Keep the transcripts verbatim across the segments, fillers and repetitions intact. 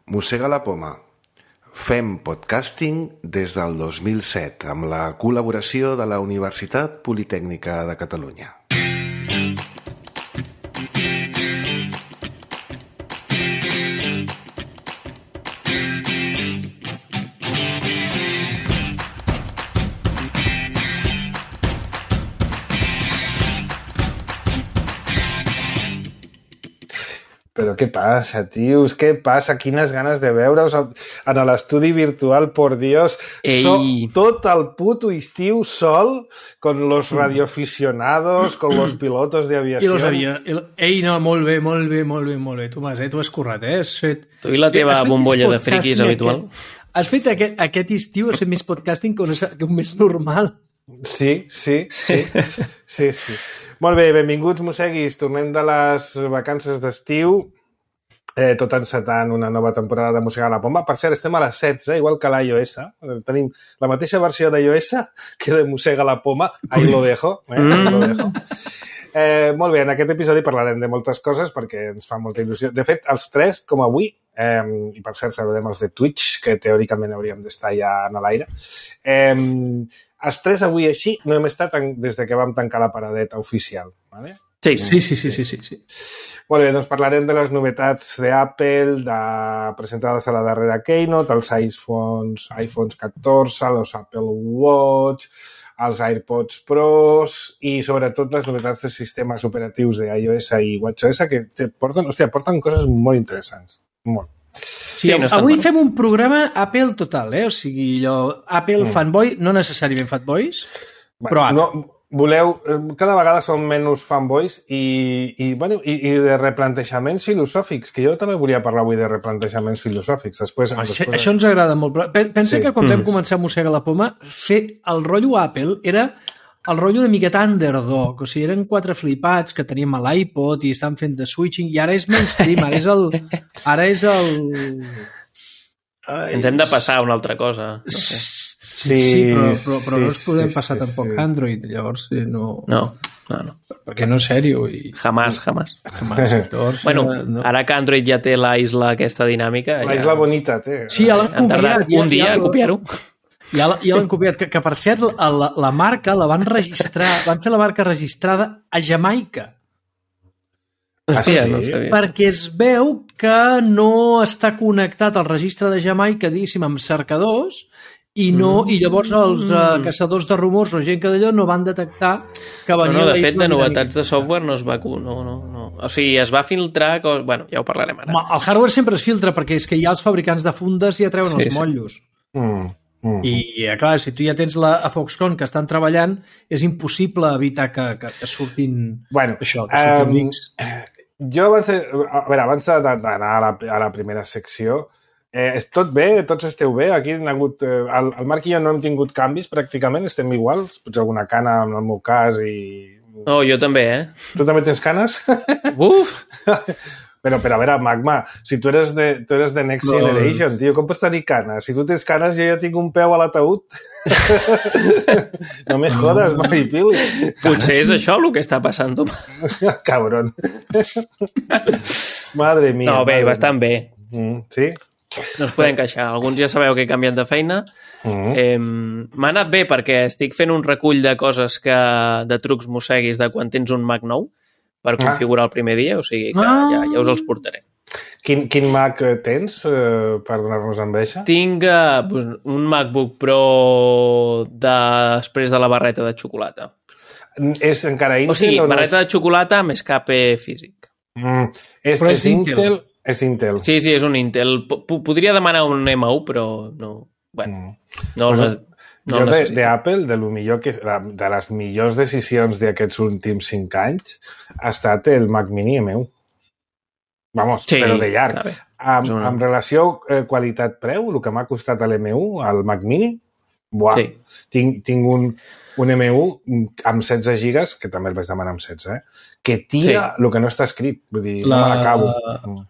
Mossega la poma. Fem podcasting des del dos mil set amb la col·laboració de la Universitat Politècnica de Catalunya. Però què passa, tios? Què passa? Quines ganes de veure-us en l'estudi virtual, por Dios. Soc tot el puto estiu sol, con los radioaficionados, con los pilotos de aviació. I los avia... Ei, no, molt bé, molt bé, molt bé, molt bé. Tomàs, eh? Tu has currat, eh? Has fet... Tu i la teva bombolla de friquis habitual. Aquest... Has fet aquest, aquest estiu, has fet més podcasting que un, que un mes normal. Sí, sí, sí. Sí, sí. Molt bé, benvinguts, mosseguis. Tornem de les vacances d'estiu, eh, tot encetant una nova temporada de Mossegar la Poma. Per cert, estem a les setze, igual que l'iOS. Tenim la mateixa versió d'iOS que de Mossega la Poma. Ahí lo dejo. Eh? Ahí lo dejo. Eh, molt bé, en aquest episodi parlarem de moltes coses perquè ens fa molta il·lusió. De fet, els tres, com avui, eh, i per cert saludem els de Twitch, que teòricament hauríem d'estar ja en l'aire, eh, els tres avui així no hem estat des de que vam tancar la paradeta oficial. ¿Vale? Sí, sí, sí, sí, sí, sí, sí. Molt bé, doncs parlarem de les novetats d'Apple, de... presentades a la darrera Keynote, els iPhones, iPhones catorze, els Apple Watch, els AirPods Pros i sobretot les novetats de sistemes operatius d'iOS i WatchOS que porten, hòstia, porten coses molt interessants. Molt. Sí, sí, no avui fem un programa Apple total, eh? O sigui, allò, Apple mm. fanboy, no necessàriament fanboys, bueno, però Apple. No, voleu, cada vegada són menys fanboys i, i, bueno, i, i de replantejaments filosòfics, que jo també volia parlar avui de replantejaments filosòfics. Després, Això, després... això ens agrada molt. Pensa sí. que quan mm. vam començar a mossegar la poma, fer el rotllo Apple era el rotllo una miqueta underdog, o sigui, eren quatre flipats que teníem a l'iPod i estan fent de switching, i ara és mainstream, ara és el... Ara és el... Ai, ens hem de passar a una altra cosa. No sé. Sí, sí, però, però, però sí, no ens podem sí, passar sí, tampoc sí. Android, llavors no... No, no, no. Perquè no és sèrio. I... Jamás, jamás. jamás llavors, bueno, no. Ara que Android ja té la isla aquesta dinàmica... La ja... isla bonita té. Sí, ja l'han copiat. Han tardat un dia a copiar-ho. Ja, ja l'han copiat, que, que per cert la, la marca la van registrar, van fer la marca registrada a Jamaica. Hòstia, ah, sí? no sabia. Perquè es veu que no està connectat al registre de Jamaica, diguéssim, amb cercadors, i, no, mm. i llavors els uh, caçadors de rumors o gent que d'allò no van detectar que venia... No, no, de fet, de novetats de software no es va... No, no, no. O sigui, es va filtrar... Cos... Bueno, ja ho parlarem ara. El hardware sempre es filtra perquè és que ja els fabricants de fundes ja treuen sí, els motllos. Sí. Mm. Mm. I, clar, si tu ja tens la, a Foxconn que estan treballant, és impossible evitar que, que, que surtin bueno, això, que surtin um, jo abans, de, a veure, abans d'anar a, la, a la primera secció, eh, és tot bé? Tots esteu bé? Aquí han hagut, eh, el, el Marc i jo no hem tingut canvis pràcticament, estem iguals, potser alguna cana en el meu cas i... Oh, jo també, eh? Tu també tens canes? Uf! Però, però a veure, Magma, si tu eres de, tu eres de Next no. Generation, tio, com pots tenir canes? Si tu tens canes, jo ja tinc un peu a l'ataúd. No me jodes, Maripili. Potser és això el que està passant, tu. Cabron. Madre mia. No, bé, madre bastant bé. Mm, sí? No ens podem queixar. Alguns ja sabeu que he canviat de feina. Mm. Eh, M'ha anat bé perquè estic fent un recull de coses que, de trucs mosseguis de quan tens un Mac nou per configurar ah. el primer dia, o sigui que ah. ja, ja us els portaré. Quin, quin Mac tens eh, per donar-nos enveja? Tinc eh, un MacBook Pro de... després de la barreta de xocolata. És encara Intel? O sigui, o no barreta és... de xocolata amb escape físic. Mm. És, però és, és Intel? Intel? És Intel. Sí, sí, és un Intel. P podria demanar un M u, però no... Bueno, mm. no els... Bueno, no jo d'Apple, de, de, lo millor que, de les millors decisions d'aquests últims cinc anys, ha estat el Mac Mini M u. Vamos, sí, però de llarg. Amb, una... amb relació eh, qualitat-preu, el que m'ha costat l'M u, el Mac Mini, buah, sí. tinc, tinc un, un M u amb setze gigas, que també el vaig demanar amb setze, eh? Que tira sí. el que no està escrit. Vull dir, la, no me l'acabo.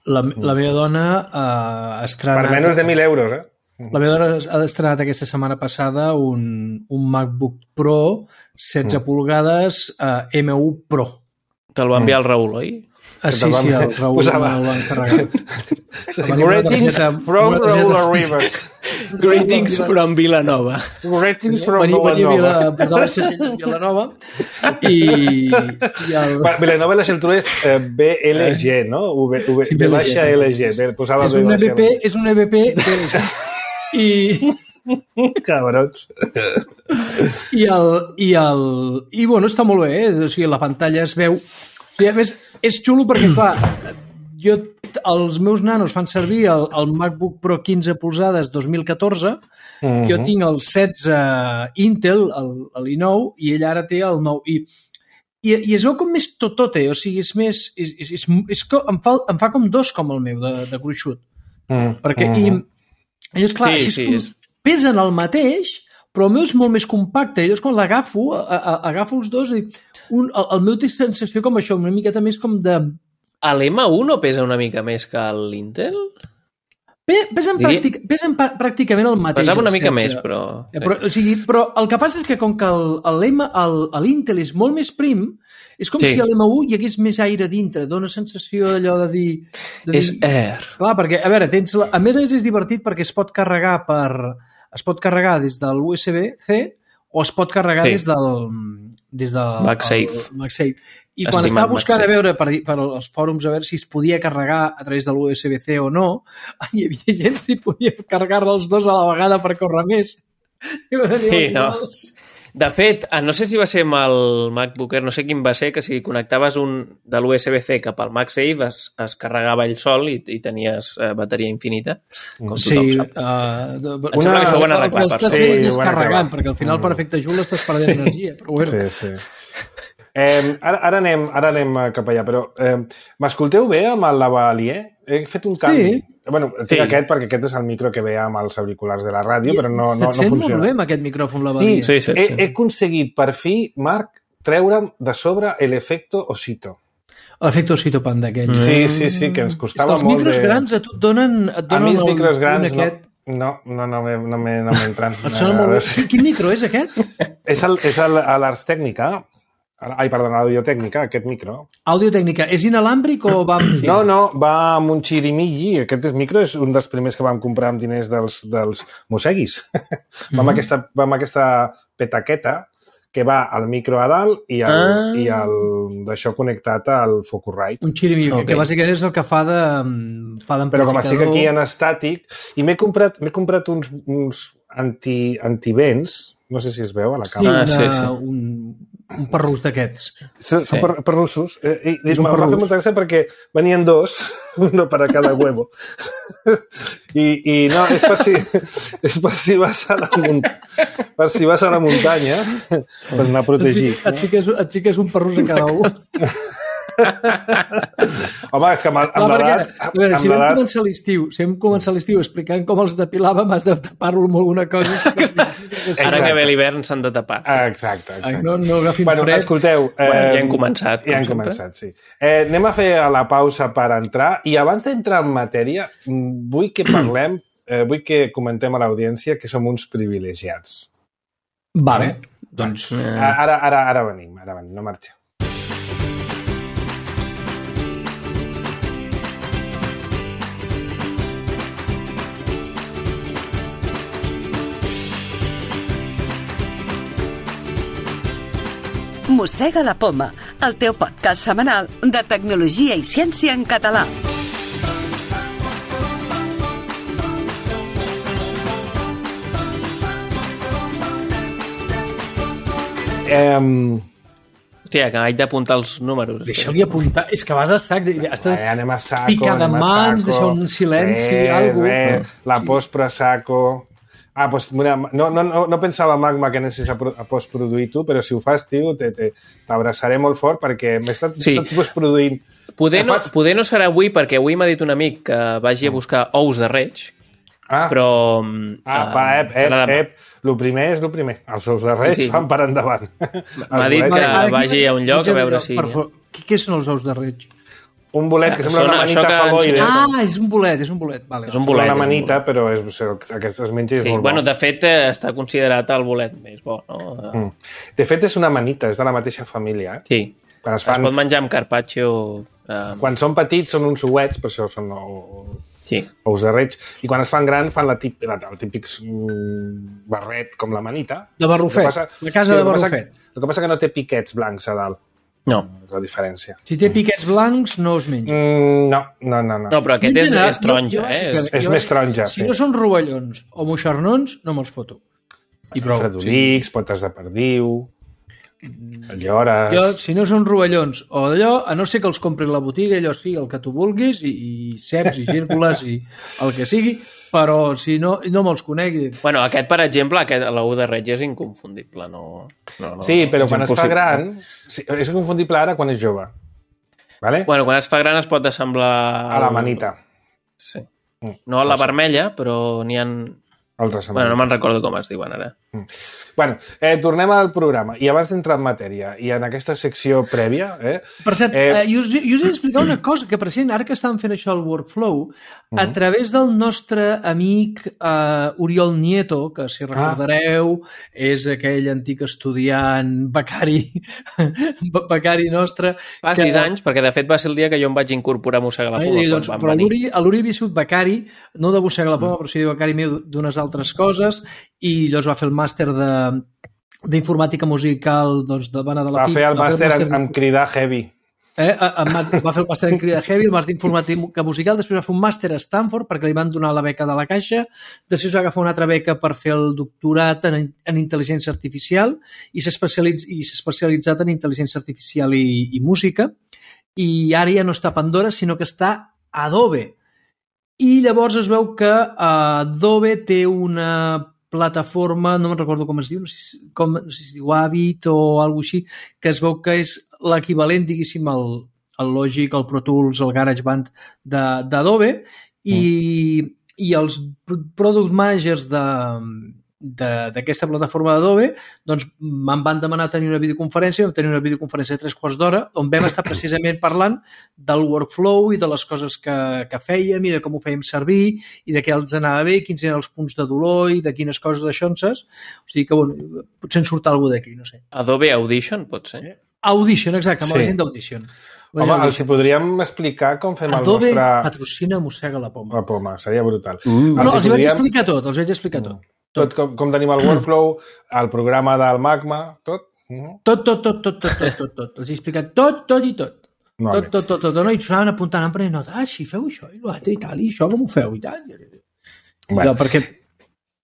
La, la meva dona uh, estrena... Per menys de mil euros, eh? La meva dona ha estrenat aquesta setmana passada un, un MacBook Pro setze mm. polgades uh, M u Pro. Te'l va enviar el Raül, oi? Ah, sí, sí, el Raül posava... el van carregar. Greetings from Raül Rivers. Greetings from Vilanova. Greetings from Vilanova. Vilanova. Portava el segell de Vilanova i... i el... Vilanova la centura és eh, B L G, no? V, v, Sí, v baixa L G. Posava és un E V P, és un E V P i... Cabrons. I el, i el... I bueno, està molt bé, eh? O sigui, la pantalla es veu... I a més, és xulo perquè, clar, jo, els meus nanos fan servir el, el MacBook Pro quinze polzades dos mil catorze, uh-huh. Jo tinc el setze Intel, el i nou, i ell ara té el nou. I, i, i es veu com més totote, o sigui, és més... És, és, és, és com, em, fa, em fa com dos com el meu, de, de gruixut. Uh-huh. Perquè, i, i és clar, sí, així sí, és... pesen el mateix, però el meu és molt més compacte. I llavors, quan l'agafo, agafo els dos i un, el, el meu té sensació com això, una miqueta més com de... L'M un no pesa una mica més que l'Intel? Pesen, Diria... pràctic, pesen pràcticament el mateix. Pesava una mica sense... més, però... Sí. Però, o sigui, però el que passa és que com que l'Intel és molt més prim, és com sí. si a l'M un hi hagués més aire dintre, dona sensació d'allò de dir... De és dir... air. Clar, perquè, a veure, tens la... a més a més és divertit perquè es pot carregar per... es pot carregar des de l'U S B C o es pot carregar sí. des del... des del... MagSafe. El, MagSafe. I quan Estimat estava buscant MagSafe. A veure per, per els fòrums a veure si es podia carregar a través de l'U S B C o no, hi havia gent que podia carregar els dos a la vegada per córrer més. Sí, no. De fet, no sé si va ser amb el MacBook Air, no sé quin va ser, que si connectaves un de l'U S B C cap al MagSafe es, es carregava ell sol i, i tenies eh, bateria infinita, com sí, tothom sap. Uh, em sembla que això ho van arreglar. Per sí, ho descarregant, perquè al final mm. per efecte Joule estàs perdent energia. Però bueno. Sí, sí. Eh, ara, ara, anem, ara anem cap allà, però eh, m'escolteu bé amb el lavalier? He fet un canvi. Sí. Bueno, tinc sí. aquest perquè aquest és el micro que veia amb els auriculars de la ràdio, I, però no, no, no funciona. Et sent molt bé amb aquest micròfon lavalier. Sí, sí, sí, he, sí. he aconseguit per fi, Marc, treure'm de sobre l'efecte Osito. L'efecte Osito Panda aquell. Sí, sí, sí, que ens costava molt de... Els micros de... grans a tu et donen... Et donen a mi els micros grans no, no, no, no, no, no m'entren. Et sona molt bé. Quin micro és aquest? És l'Ars Tècnica. Ai, perdona, l'Audiotècnica, aquest micro. Audiotècnica. És inalàmbric o va amb fil? No, no, va amb un xirimilli. Aquest micro és un dels primers que vam comprar amb diners dels, dels Moseguis. Mm-hmm. va, amb aquesta, va amb aquesta petaqueta que va al micro a dalt i, el, ah. i el, d'això connectat al Focusrite. Un xirimilli, okay. que bàsicament és el que fa de fa d'amplificador. Però com estic aquí en estàtic, i m'he comprat, m'he comprat uns, uns anti, antivents, no sé si es veu a la càmera. Sí, una, sí, sí. un, un perrús d'aquests. Són sí. per, perrussos. Eh, I, i m'ha fet molta gràcia perquè venien dos, uno per a cada huevo. I, i no, és per si, és per si vas a la muntanya, per si vas a la muntanya, per anar protegit. Et fiques, et fiques un perrús a cada un. Home, és que amb, amb l'edat... Si vam començar l'estiu, si vam començar l'estiu explicant com els depilàvem, has de tapar-lo amb alguna cosa. Ara que ve l'hivern s'han de tapar. Exacte, exacte. No, no agafin bueno, fred. Escolteu... Eh, bueno, ja hem començat. Ja hem començat, sí. Eh, anem a fer la pausa per entrar i abans d'entrar en matèria vull que parlem, eh, vull que comentem a l'audiència que som uns privilegiats. Vale, doncs... Ara, ara, ara venim, ara venim, no marxeu. Mossega la Poma, el teu podcast setmanal de tecnologia i ciència en català. Um... Hòstia, que haig d'apuntar els números. Deixa-li apuntar. És que vas a sac. Has de eh, anem a saco, picar de mans, deixar un silenci, re, alguna cosa. La sí. post pro saco... Ah, doncs, mira, no, no, no, no pensava, Magma, que anessis a, a postproduir tu, però si ho fas, tio, t'abraçaré molt fort perquè m'he estat, sí. estat postproduint. Poder no, fas... poder no serà avui, perquè avui m'ha dit un amic que vagi a buscar ous de reig, ah. però... Ah, va, ep, ep, ep, el primer és el primer. Els ous de reig sí, sí. van per endavant. M'ha dit que vagi a un lloc a veure si... Què són els ous de reig? Un bolet que sembla una manita fagoide. Ah, és un bolet, és un bolet. Vale, és un bolet. Una manita, però és, aquest es menja és sí, molt bueno, bo. De fet, està considerat el bolet més bo, no? Mm. De fet, és una manita, és de la mateixa família. Eh? Sí. Quan es, fan... es pot menjar amb carpaccio... Eh... Quan són petits són uns ouets, per això són o... sí. ous de reig, i quan es fan gran fan la tip... el típic mm, barret com la manita. De Barrufet, passa... la casa sí, de Barrufet. El que passa que no té piquets blancs a dalt. No. És la diferència. Si té piquets blancs, no es menja. Mm, no, no, no, no. No, però aquest és, és taronja, no, eh? És, és més taronja, si sí. no són rovellons o moixernons, no me'ls foto. I prou. Fredolics, sí. Potes de perdiu, llores... Jo, si no són rovellons o d'allò, a no ser que els compri a la botiga, allò sí, el que tu vulguis, i, i ceps, i gírgoles, i el que sigui, però si no, no me'ls conegui. Bueno, aquest, per exemple, aquest, l'ou de reig és inconfundible, no... no, no sí, però quan impossible. Es fa gran... Sí, és inconfundible ara quan és jove. Vale? Bueno, quan es fa gran es pot assemblar... A la manita. Sí. No a la vermella, però n'hi ha... Altres bueno, no me'n recordo com es diuen ara. Mm. Bueno, eh, tornem al programa. I abans d'entrar en matèria, i en aquesta secció prèvia... Eh, per cert, eh... eh, jo, us, jo us he d'explicar una cosa, que precisament ara que estàvem fent això al workflow, mm-hmm. a través del nostre amic eh, Oriol Nieto, que si recordareu ah. és aquell antic estudiant becari, becari nostre... Fa que... sis anys, perquè de fet va ser el dia que jo em vaig incorporar a Mossegar la Poma. Eh, doncs, però l'Uri havia sigut becari, no de Mossegar la Poma, mm. però sí de becari meu d'unes altres coses, i llavors va fer el màster de d'informàtica musical doncs, de Bana de la Va fer el màster en, en cridar heavy. Eh, va fer el màster en cridar heavy, el màster d'informàtica musical, després va fer un màster a Stanford perquè li van donar la beca de la Caixa, després va agafar una altra beca per fer el doctorat en, en intel·ligència artificial i s'ha especialitz, i s'ha especialitzat en intel·ligència artificial i, i música, i ara ja no està a Pandora, sinó que està a Adobe. I llavors es veu que uh, Adobe té una plataforma, no me'n recordo com es diu, no sé si, com, no sé si es diu Avid o alguna cosa així, que es veu que és l'equivalent, diguéssim, al, al Logic, al Pro Tools, al GarageBand d'Adobe, i, mm. i els product managers de... d'aquesta plataforma d'Adobe, doncs me'n van demanar tenir una videoconferència, vam tenir una videoconferència de tres quarts d'hora, on vam estar precisament parlant del workflow i de les coses que, que fèiem i de com ho fèiem servir i de què els anava bé, quins eren els punts de dolor i de quines coses d'aixonses. O sigui que, bueno, potser en surt alguna d'aquí, no sé. Adobe Audition, pot ser? Audition, exacte, amb sí. la gent d'Audition. Home, els podríem explicar com fem Adobe el nostre... Adobe patrocina Mossega la Poma. La Poma, seria brutal. Uh, no, els hi podríem... vaig explicar tot, els vaig explicar tot. Mm. Tot com, com tenim el workflow, el programa del Magma, tot? Mm. Tot, tot, tot, tot, tot, tot, tot, tot. Els he explicat tot, tot i tot. No, tot, tot, tot, tot, no? I s'anaven apuntant, prenent nota, ah, si feu això i l'altre i tal, i això com ho feu i tal. Bueno. No, perquè...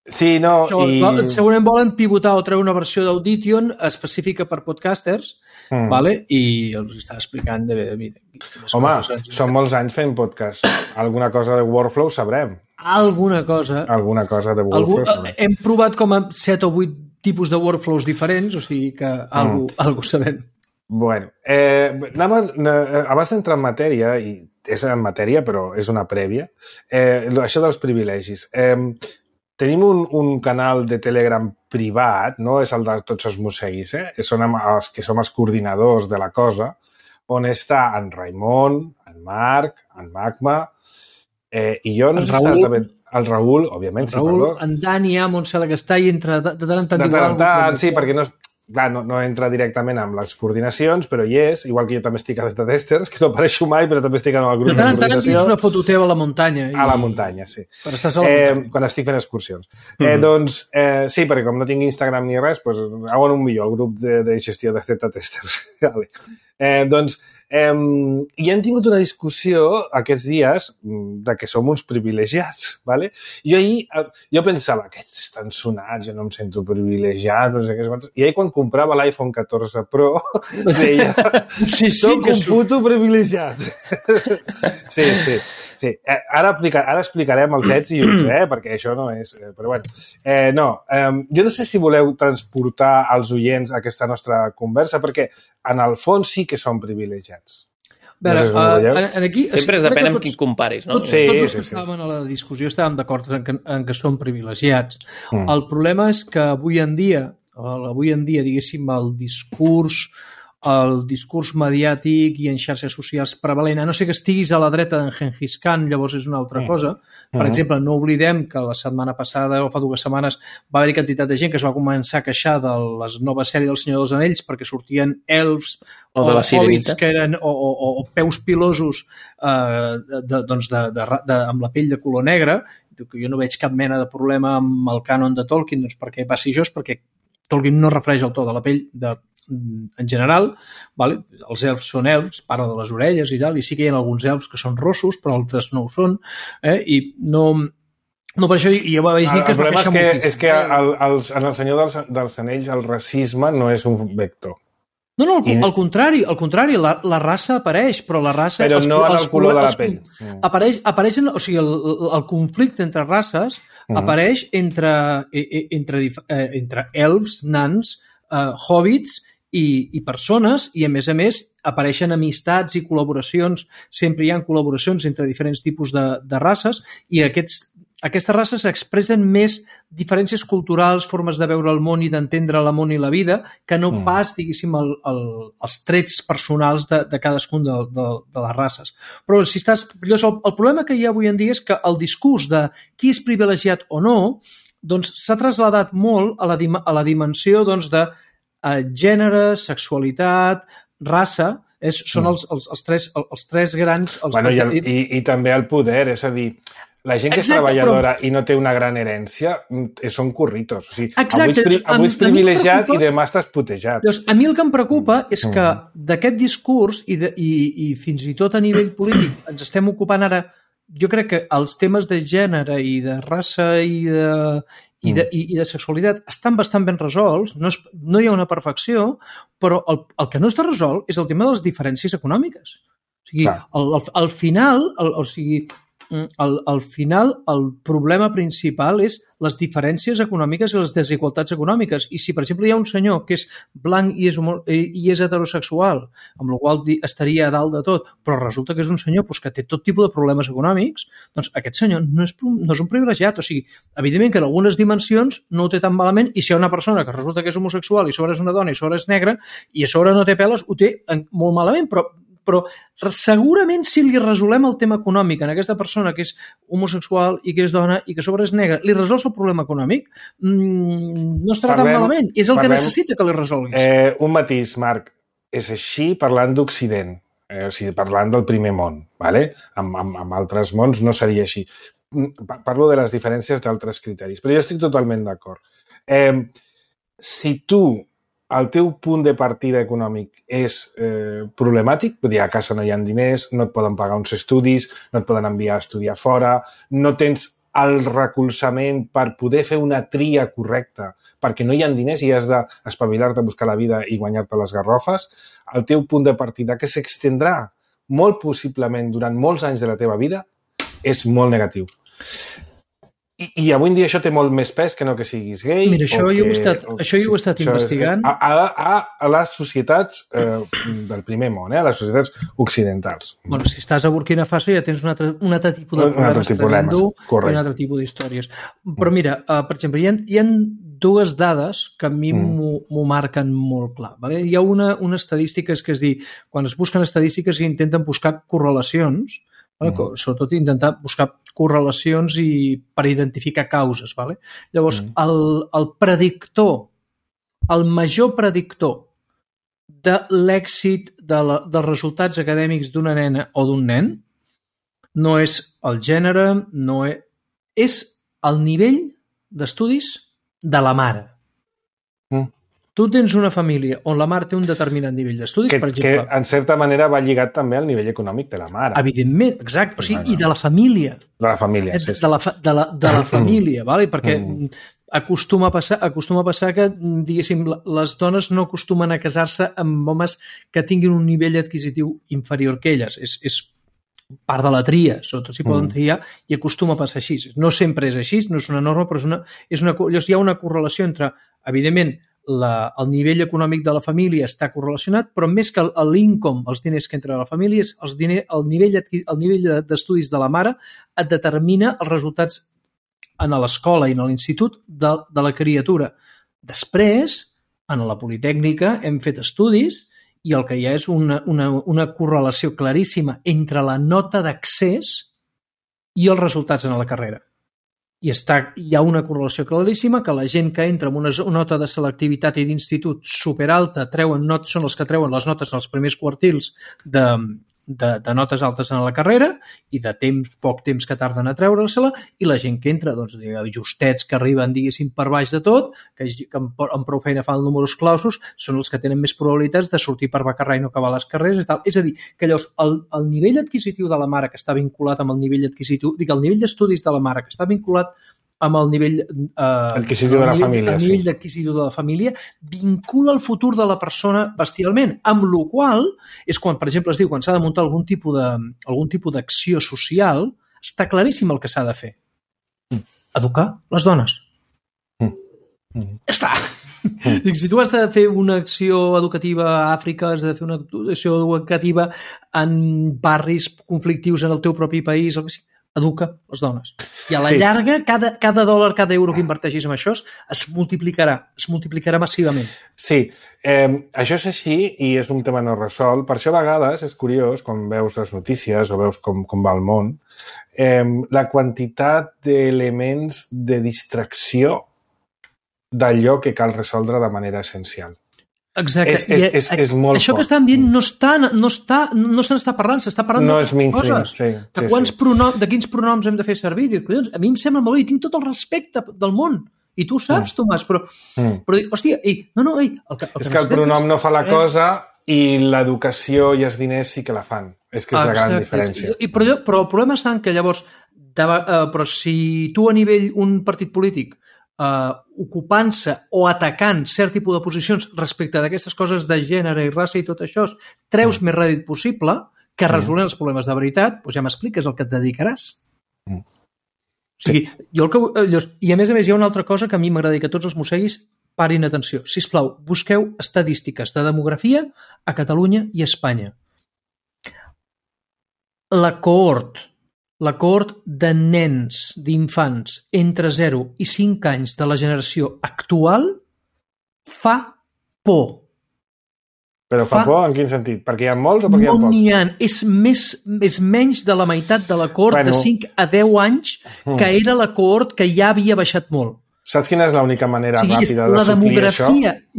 Sí, no, això, i... segurament volen pivotar o treure una versió d'Audition específica per podcasters, mm. vale? I els estava explicant de... de, de Home, són molts anys fent podcast. Alguna cosa de workflow sabrem. Alguna cosa. Alguna cosa de workflow Algú, sabrem. Hem provat com a set o vuit tipus de workflows diferents, o sigui que mm. algú, algú sabem. Bueno, eh, anem a, abans d'entrar en matèria, i és en matèria però és una prèvia, eh, això dels privilegis. Eh, tenim un, un canal de Telegram privat, no és el de tots els mosseguis, eh? Són els que som els coordinadors de la cosa, on està en Raimon, en Marc, en Magma, eh, i jo no el sé Raül, si també... El Raül, òbviament, el Raül, sí, perdó. En Dani, a Montse que i entre de tant en tant... De tant en tant, sí, perquè no, clar, no, no entra directament amb les coordinacions, però hi és, igual que jo també estic a Data Testers, que no apareixo mai, però també estic en el grup de, de tant en tant coordinació. és una foto teva a la muntanya. I... A la muntanya, sí. Quan estàs a la muntanya. Eh, quan estic fent excursions. Mm-hmm. Eh, doncs, eh, sí, perquè com no tinc Instagram ni res, doncs, hago en un millor el grup de, de gestió de Data Testers. vale. eh, doncs, eh, i hem tingut una discussió aquests dies de que som uns privilegiats, vale? Jo ahir, jo pensava, aquests estan sonats, jo no em sento privilegiat, no sé què, i ahir quan comprava l'iPhone catorze Pro, deia, sí, sí, soc un puto privilegiat. sí, sí. Sí, ara, aplica, ara explicarem els ets i uts, eh? Perquè això no és... Eh, però bueno, eh, no, eh, jo no sé si voleu transportar als oients aquesta nostra conversa, perquè en el fons sí que som privilegiats. A veure, no sé si uh, en aquí... Sempre es depèn amb qui comparis, no? Tots, sí, tots els sí, que sí. estàvem a la discussió estàvem d'acord en, que, en que som privilegiats. Mm. El problema és que avui en dia, avui en dia, diguéssim, el discurs el discurs mediàtic i en xarxes socials prevalent, a no ser que estiguis a la dreta d'en Genghis Khan, llavors és una altra mm. cosa. Per mm. exemple, no oblidem que la setmana passada o fa dues setmanes va haver-hi quantitat de gent que es va començar a queixar de les noves sèries del Senyor dels Anells perquè sortien elfs o, de la hobbits que eren, o, o, o peus pilosos eh, de, doncs de, de, de, amb la pell de color negre. Jo no veig cap mena de problema amb el cànon de Tolkien, doncs perquè va ser jo, perquè Tolkien no refereix el to de la pell de en general, vale? Els elfs són elfs, parla de les orelles i tal, i sí que hi ha alguns elfs que són rossos, però altres no ho són, eh? I no, no per això jo vaig dir que es va queixar moltíssim. El problema és que el, els, en el Senyor dels, dels Anells el racisme no és un vector. No, no, al, I... al contrari, al contrari, la, la raça apareix, però la raça... Però els, no en el color de la els, pell. Apareix, apareix en, o sigui, el, el conflicte entre races uh-huh. apareix entre, entre, entre elfs, nans, uh, hobbits i, i persones, i a més a més apareixen amistats i col·laboracions, sempre hi ha col·laboracions entre diferents tipus de, de races, i aquests Aquestes races expressen més diferències culturals, formes de veure el món i d'entendre el món i la vida, que no mm. pas, diguéssim, el, el, els trets personals de, de cadascun de, de, de les races. Però si estàs... El, el problema que hi ha avui en dia és que el discurs de qui és privilegiat o no doncs s'ha trasladat molt a la, a la dimensió doncs, de eh, gènere, sexualitat, raça, és, són els, els, els, tres, els tres grans... Els bueno, i, el, i, i també el poder, és a dir... La gent que Exacte, és treballadora però... i no té una gran herència són curritos. O sigui, Exacte. Avui ets, pri... avui ets privilegiat preocupa... i demà estàs putejat. Llavors, a mi el que em preocupa és que d'aquest discurs i, de, i, i fins i tot a nivell polític ens estem ocupant ara, jo crec que els temes de gènere i de raça i de, i de, i, i de sexualitat estan bastant ben resolts, no, és, no hi ha una perfecció, però el, el que no està resolt és el tema de les diferències econòmiques. O sigui, al, al, al final, el, o sigui... Al, al final el problema principal és les diferències econòmiques i les desigualtats econòmiques. I si, per exemple, hi ha un senyor que és blanc i és, humor, i és heterosexual, amb la qual estaria a dalt de tot, però resulta que és un senyor doncs, que té tot tipus de problemes econòmics, doncs aquest senyor no és, no és un privilegiat. O sigui, evidentment que en algunes dimensions no ho té tan malament, i si hi ha una persona que resulta que és homosexual i a sobre és una dona i a sobre és negra i a sobre no té peles, ho té molt malament, però però segurament si li resolem el tema econòmic en aquesta persona que és homosexual i que és dona i que a sobre és negra, li resols el problema econòmic, mmm, no estarà parlem, tan malament. És el parlem, que necessita que li resolguis. Eh, un matís, Marc. És així parlant d'Occident, eh, o sigui, parlant del primer món. ¿vale? Amb, amb, amb altres mons no seria així. Parlo de les diferències d'altres criteris, però jo estic totalment d'acord. Eh, si tu el teu punt de partida econòmic és eh, problemàtic, vull dir, a casa no hi ha diners, no et poden pagar uns estudis, no et poden enviar a estudiar fora, no tens el recolzament per poder fer una tria correcta, perquè no hi ha diners i has d'espavilar-te a buscar la vida i guanyar-te les garrofes, el teu punt de partida, que s'extendrà molt possiblement durant molts anys de la teva vida, és molt negatiu. I, I avui en dia això té molt més pes que no que siguis gay. Mira, això, que, jo, ho he estat, o, això jo ho he estat investigant. A, a, a les societats eh, del primer món, eh, a les societats occidentals. Bueno, si estàs a Burkina Faso ja tens un altre, un altre tipus de problemes tremendo i un altre tipus d'històries. Però mira, uh, per exemple, hi ha, hi ha dues dades que a mi mm. m'ho marquen molt clar. Vale? Hi ha una, una estadística, és que és dir, quan es busquen estadístiques i intenten buscar correlacions, vale? mm. sobretot intentar buscar correlacions i per identificar causes. Vale? Llavors, mm. el, el predictor, el major predictor de l'èxit de la, dels resultats acadèmics d'una nena o d'un nen no és el gènere, no és, és el nivell d'estudis de la mare. Mm. Tu tens una família on la mare té un determinat nivell d'estudis, que, per exemple... Que, en certa manera, va lligat també al nivell econòmic de la mare. Evidentment, exacte. O sigui, i de la família. De la família, sí. De la, de la, de la família, vale? Perquè mm. acostuma a passar, acostuma a passar que, diguéssim, les dones no acostumen a casar-se amb homes que tinguin un nivell adquisitiu inferior que elles. És, és part de la tria, sobretot si poden triar, i acostuma a passar així. No sempre és així, no és una norma, però és una, és una, llavors hi ha una correlació entre, evidentment, la, el nivell econòmic de la família està correlacionat, però més que l'income, els diners que entren a la família, és els diner, el nivell, el nivell d'estudis de la mare et determina els resultats en l'escola i en l'institut de, de la criatura. Després, en la Politècnica, hem fet estudis i el que hi ha és una, una, una correlació claríssima entre la nota d'accés i els resultats en la carrera. I està, hi ha una correlació claríssima que la gent que entra amb una nota de selectivitat i d'institut superalta treuen not, són els que treuen les notes en els primers quartils de, de, de notes altes en la carrera i de temps, poc temps que tarden a treure-se-la, i la gent que entra, doncs, justets que arriben, diguéssim, per baix de tot, que, que amb, amb prou feina fan números clausos, són els que tenen més probabilitats de sortir per becarrar i no acabar les carreres i tal. És a dir, que llavors el, el nivell adquisitiu de la mare que està vinculat amb el nivell adquisitiu, dic, el nivell d'estudis de la mare que està vinculat amb el nivell eh, adquisitiu de la nivell, família, el sí. nivell d'adquisitiu de la família vincula el futur de la persona bestialment, amb la qual és quan, per exemple, es diu quan s'ha de muntar algun tipus de algun tipus d'acció social, està claríssim el que s'ha de fer. Mm. Educar les dones. Mm. Mm. Ja està. Mm. Dic, si tu has de fer una acció educativa a Àfrica, has de fer una acció educativa en barris conflictius en el teu propi país, el que sigui, educa les dones. I a la sí. llarga, cada, cada dòlar, cada euro que inverteixis en això es multiplicarà, es multiplicarà massivament. Sí, eh, això és així i és un tema no resolt. Per això a vegades és curiós, quan veus les notícies o veus com, com va el món, eh, la quantitat d'elements de distracció d'allò que cal resoldre de manera essencial. Exacte. És, és, és, és molt això fort. que estan dient no està, no està, no se n'està parlant, s'està parlant no de coses. Sí, de, sí, quants sí. pronom, de quins pronoms hem de fer servir. Dic, a mi em sembla molt bé, i tinc tot el respecte del món. I tu ho saps, mm. Tomàs, però, mm. però hòstia, ei, no, no, ei... El que, el és que, que el pronom no fa la cosa i l'educació i els diners sí que la fan. És que és Exacte. La gran diferència. I, però, però el problema està en que llavors, de, uh, però si tu a nivell un partit polític Uh, ocupant-se o atacant cert tipus de posicions respecte d'aquestes coses de gènere i raça i tot això, treus mm. més rèdit possible que resolen mm. els problemes de veritat, doncs ja m'expliques el que et dedicaràs. Mm. O sigui, sí. jo el que, i a més a més hi ha una altra cosa que a mi m'agradaria que tots els mosseguis parin atenció. Sisplau, busqueu estadístiques de demografia a Catalunya i a Espanya. La cohort La cohort de nens, d'infants, entre zero i cinc anys de la generació actual fa por. Però fa, fa por en quin sentit? Perquè hi ha molts o perquè no hi ha pocs? No n'hi ha. És, més, és menys de la meitat de la cohort bueno. de cinc a deu anys que era la cohort que ja havia baixat molt. Saps quina és l'única manera o sigui, ràpida de la suplir això?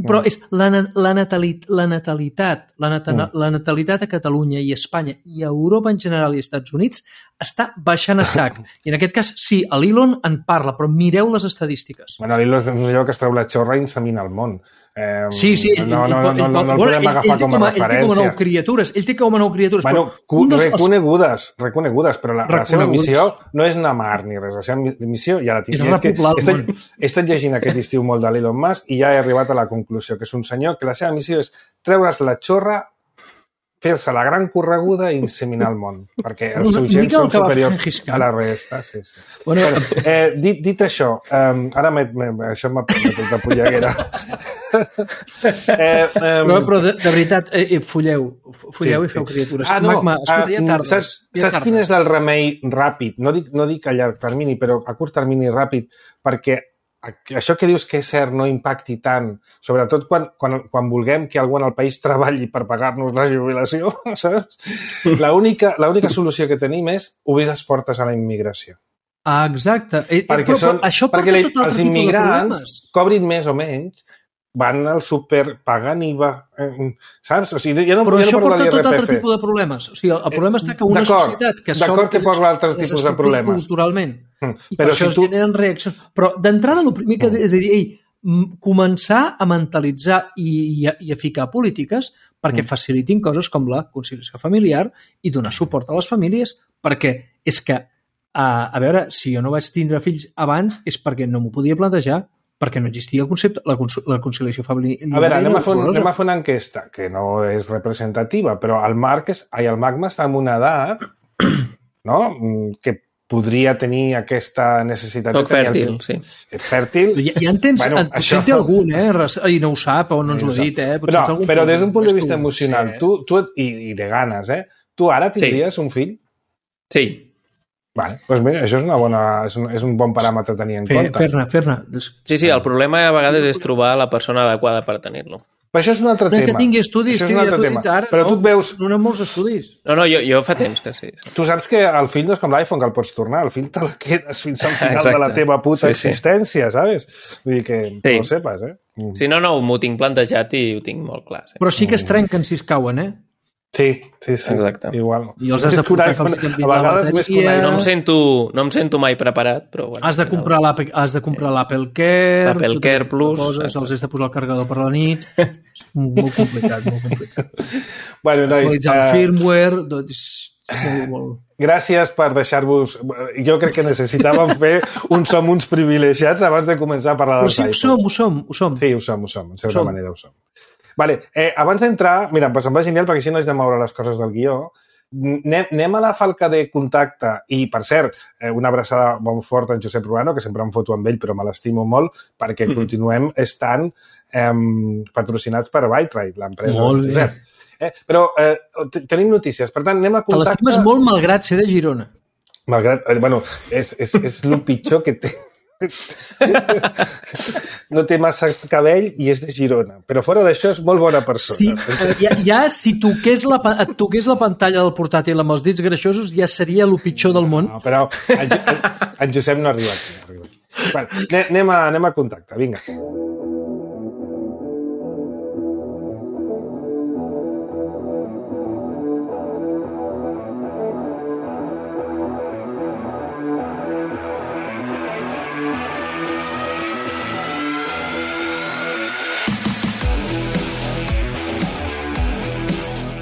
Però és la, la, natalit, la natalitat, la, nata, mm. la natalitat a Catalunya i a Espanya i a Europa en general i als Estats Units està baixant a sac. I en aquest cas, sí, l'Elon en parla, però mireu les estadístiques. Bueno, l'Elon és allò que es treu la xorra i insemina el món. Eh, sí, sí. Ell, no, no, no, no, no, no el bueno, podem agafar com a referència. Ell té com a nou criatures. Ell té com a nou criatures. Bueno, però dels, reconegudes, reconegudes, però la, la seva missió no és anar a mar ni res. La seva missió ja la tinc. És repoblar el món. He estat llegint aquest estiu molt de l'Elon Musk i ja he arribat a la conclusió que és un senyor que la seva missió és treure's la xorra, fer-se la gran correguda i inseminar el món, perquè els seus gens són superiors a la resta. Sí, sí. Bueno, bueno, eh, dit, dit això, um, ara me, me, això m'ha posat de polleguera. eh, um... no, però de, de veritat, eh, fulleu, fulleu sí, i feu sí. criatures. Ah, no, Magma, escolta, ja tardes, saps, ja saps quin és el remei ràpid? No dic, no dic a llarg termini, però a curt termini ràpid, perquè això que dius que és cert no impacti tant, sobretot quan, quan, quan vulguem que algú en el país treballi per pagar-nos la jubilació, saps? L'única l'única solució que tenim és obrir les portes a la immigració. Ah, exacte. Eh, perquè però, són, però això perquè tot els immigrants cobrin més o menys, van al súper, paguen I V A, eh, saps? O sigui, ja no, però ja això no porta tot altre tipus de problemes. O sigui, el problema està que una societat que d'acord que porta altres tipus de problemes. Culturalment. Mm. I per però això si es tu... generen reaccions. Però d'entrada, el primer que mm. és a dir, ei, començar a mentalitzar i, i, a, i a ficar polítiques perquè mm. facilitin coses com la conciliació familiar i donar suport a les famílies, perquè és que, a, a veure, si jo no vaig tindre fills abans és perquè no m'ho podia plantejar, perquè no existia el concepte, la, la conciliació familiar. A veure, anem a, fer, anem a fer una enquesta, que no és representativa, però el Marc, ai, el Magma està en una edat, no?, que podria tenir aquesta necessitat. Soc fèrtil, sí. És fèrtil. Ja, ja en tens, bueno, en, potser això... té algun, eh? I no ho sap, o no ens ho ha dit, eh? Potser però però des d'un punt de vista emocional, sí, tu, tu, i, i de ganes, eh? Tu ara tindries sí. un fill? Sí. Vale, doncs bé, això és, una bona, és, un, és un bon paràmetre a tenir en fer, compte. Fer-ne, fer-ne. Sí, sí, el problema a vegades és trobar la persona adequada per tenir-lo. Però això és un altre no, tema. Que tingui estudis, això és un altre tema. Ara, però no, tu et veus... No, no molts estudis. No, no, jo, jo fa temps que sí. Tu saps que el fill no és com l'iPhone, que el pots tornar. El fill te la quedes fins al final Exacte. de la teva puta sí, existència, sí. Saps? Vull dir que sí. no ho sepes, eh? Mm. Sí, no, no, m'ho tinc plantejat i ho tinc molt clar. Sí. Però sí que es trenquen si es cauen, eh? Sí, sí, sí. Exacte. Igual. I els has de portar que els a vegades més que un no em sento, no em sento mai preparat, però bueno. Has de comprar l'Apple, has de comprar l'Apple Care, l'Apple Care Plus, coses, els has de posar el carregador per la nit. Molt complicat, molt complicat. Bueno, nois, actualitzar el firmware, doncs molt, molt... Gràcies per deixar-vos... Jo crec que necessitàvem fer un som uns privilegiats abans de començar a parlar dels iPhones. Però sí, ho som, ho som, ho som. Sí, ho som, ho som. En certa manera ho som. Vale, eh, abans d'entrar, mira, pues em va genial perquè així no haig de moure les coses del guió. Anem, anem a la falca de contacte i, per cert, eh, una abraçada molt forta en Josep Ruano, que sempre em foto amb ell, però me l'estimo molt, perquè mm. continuem estant eh, patrocinats per Bytride, l'empresa molt de Josep. Eh, però eh, tenim notícies, per tant, anem a contacte... Te l'estimes molt malgrat ser de Girona. Malgrat... Eh, bueno, és, és, és el pitjor que té. No té massa cabell i és de Girona, però fora d'això és molt bona persona. Sí, ja, ja si toqués la, et toqués la pantalla del portàtil amb els dits greixosos ja seria el pitjor del món. No, però en, en, en Josep no arriba aquí. No arriba aquí. Bueno, anem, a, anem a contacte, vinga.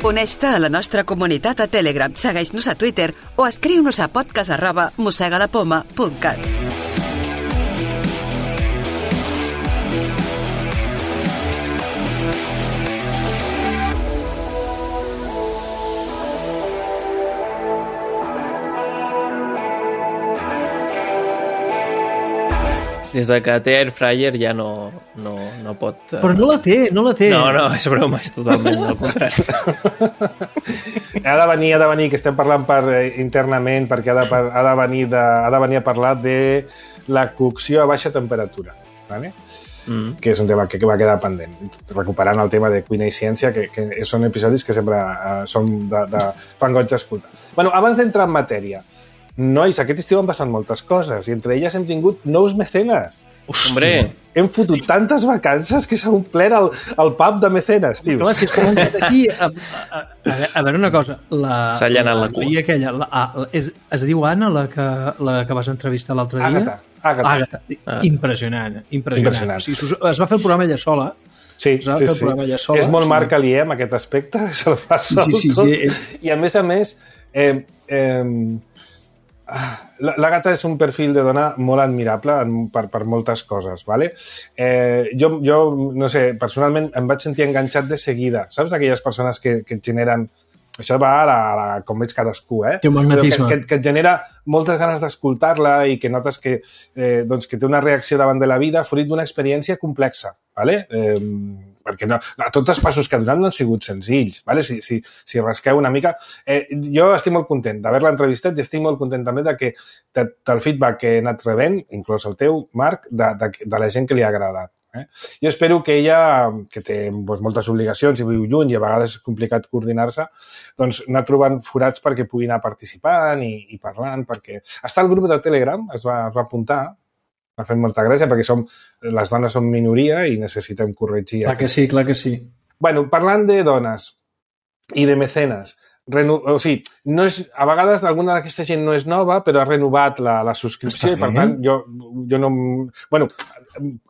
Uneix-te a la nostra comunitat a Telegram, segueix-nos a Twitter o escriu-nos a podcast arroba mosegalapoma punt cat. Des de que té Airfryer ja no, no, no pot... Uh... Però no la té, no la té. No, no, és broma, és totalment al contrari. Ha de venir, ha de venir, que estem parlant per, eh, internament, perquè ha de, ha, de venir de, ha de venir a parlar de la cocció a baixa temperatura, ¿vale? Mm. Que és un tema que, que va quedar pendent. Recuperant el tema de cuina i ciència, que, que són episodis que sempre uh, són de, de fan goig d'escoltar. Bueno, abans d'entrar en matèria, nois, aquest estiu han passat moltes coses i entre elles hem tingut nous mecenes. Hombre! Hem fotut tantes vacances que s'ha omplert el, el pub de mecenes, tio. Clar, si és com un fet aquí... A, a, a, a veure una cosa. S'ha allanat la cua. I aquella, la, a, és, es diu Anna, la que, la que vas entrevistar l'altre dia? Àgata. Àgata. Àgata. Ah. Impressionant, impressionant. impressionant. O sigui, es va fer el programa ella sola. Sí, es va sí, fer el sí. programa ella sola. És molt sí. Marc Alier amb aquest aspecte, se'l fa sol sí, sí, tot. Sí, sí. I a més a més, eh, eh, l'Àgata és un perfil de dona molt admirable per, per moltes coses, ¿vale? Eh, jo, jo, no sé, personalment em vaig sentir enganxat de seguida. Saps d'aquelles persones que, que et generen... Això va a la, a la, com veig cadascú, eh? Té un magnetisme. Que, que, que et genera moltes ganes d'escoltar-la i que notes que, eh, doncs, que té una reacció davant de la vida fruit d'una experiència complexa, ¿vale? Eh, perquè no, no, tots els passos que ha donat no han sigut senzills, ¿vale? Si, si, si rasqueu una mica... Eh, jo estic molt content d'haver-la entrevistat i estic molt content també de que de, del feedback que he anat rebent, inclòs el teu, Marc, de, de, de la gent que li ha agradat. Eh? Jo espero que ella, que té doncs, moltes obligacions i viu lluny i a vegades és complicat coordinar-se, doncs anar trobant forats perquè pugui anar participant i, i parlant, perquè... Està al grup de Telegram, es va, es va apuntar, m'ha fet molta gràcia perquè som, les dones som minoria i necessitem corregir. Clar que sí, clar que sí. Bueno, parlant de dones i de mecenes, reno... o sigui, no és... a vegades alguna d'aquesta gent no és nova, però ha renovat la, la subscripció i per tant jo, jo no... Bueno,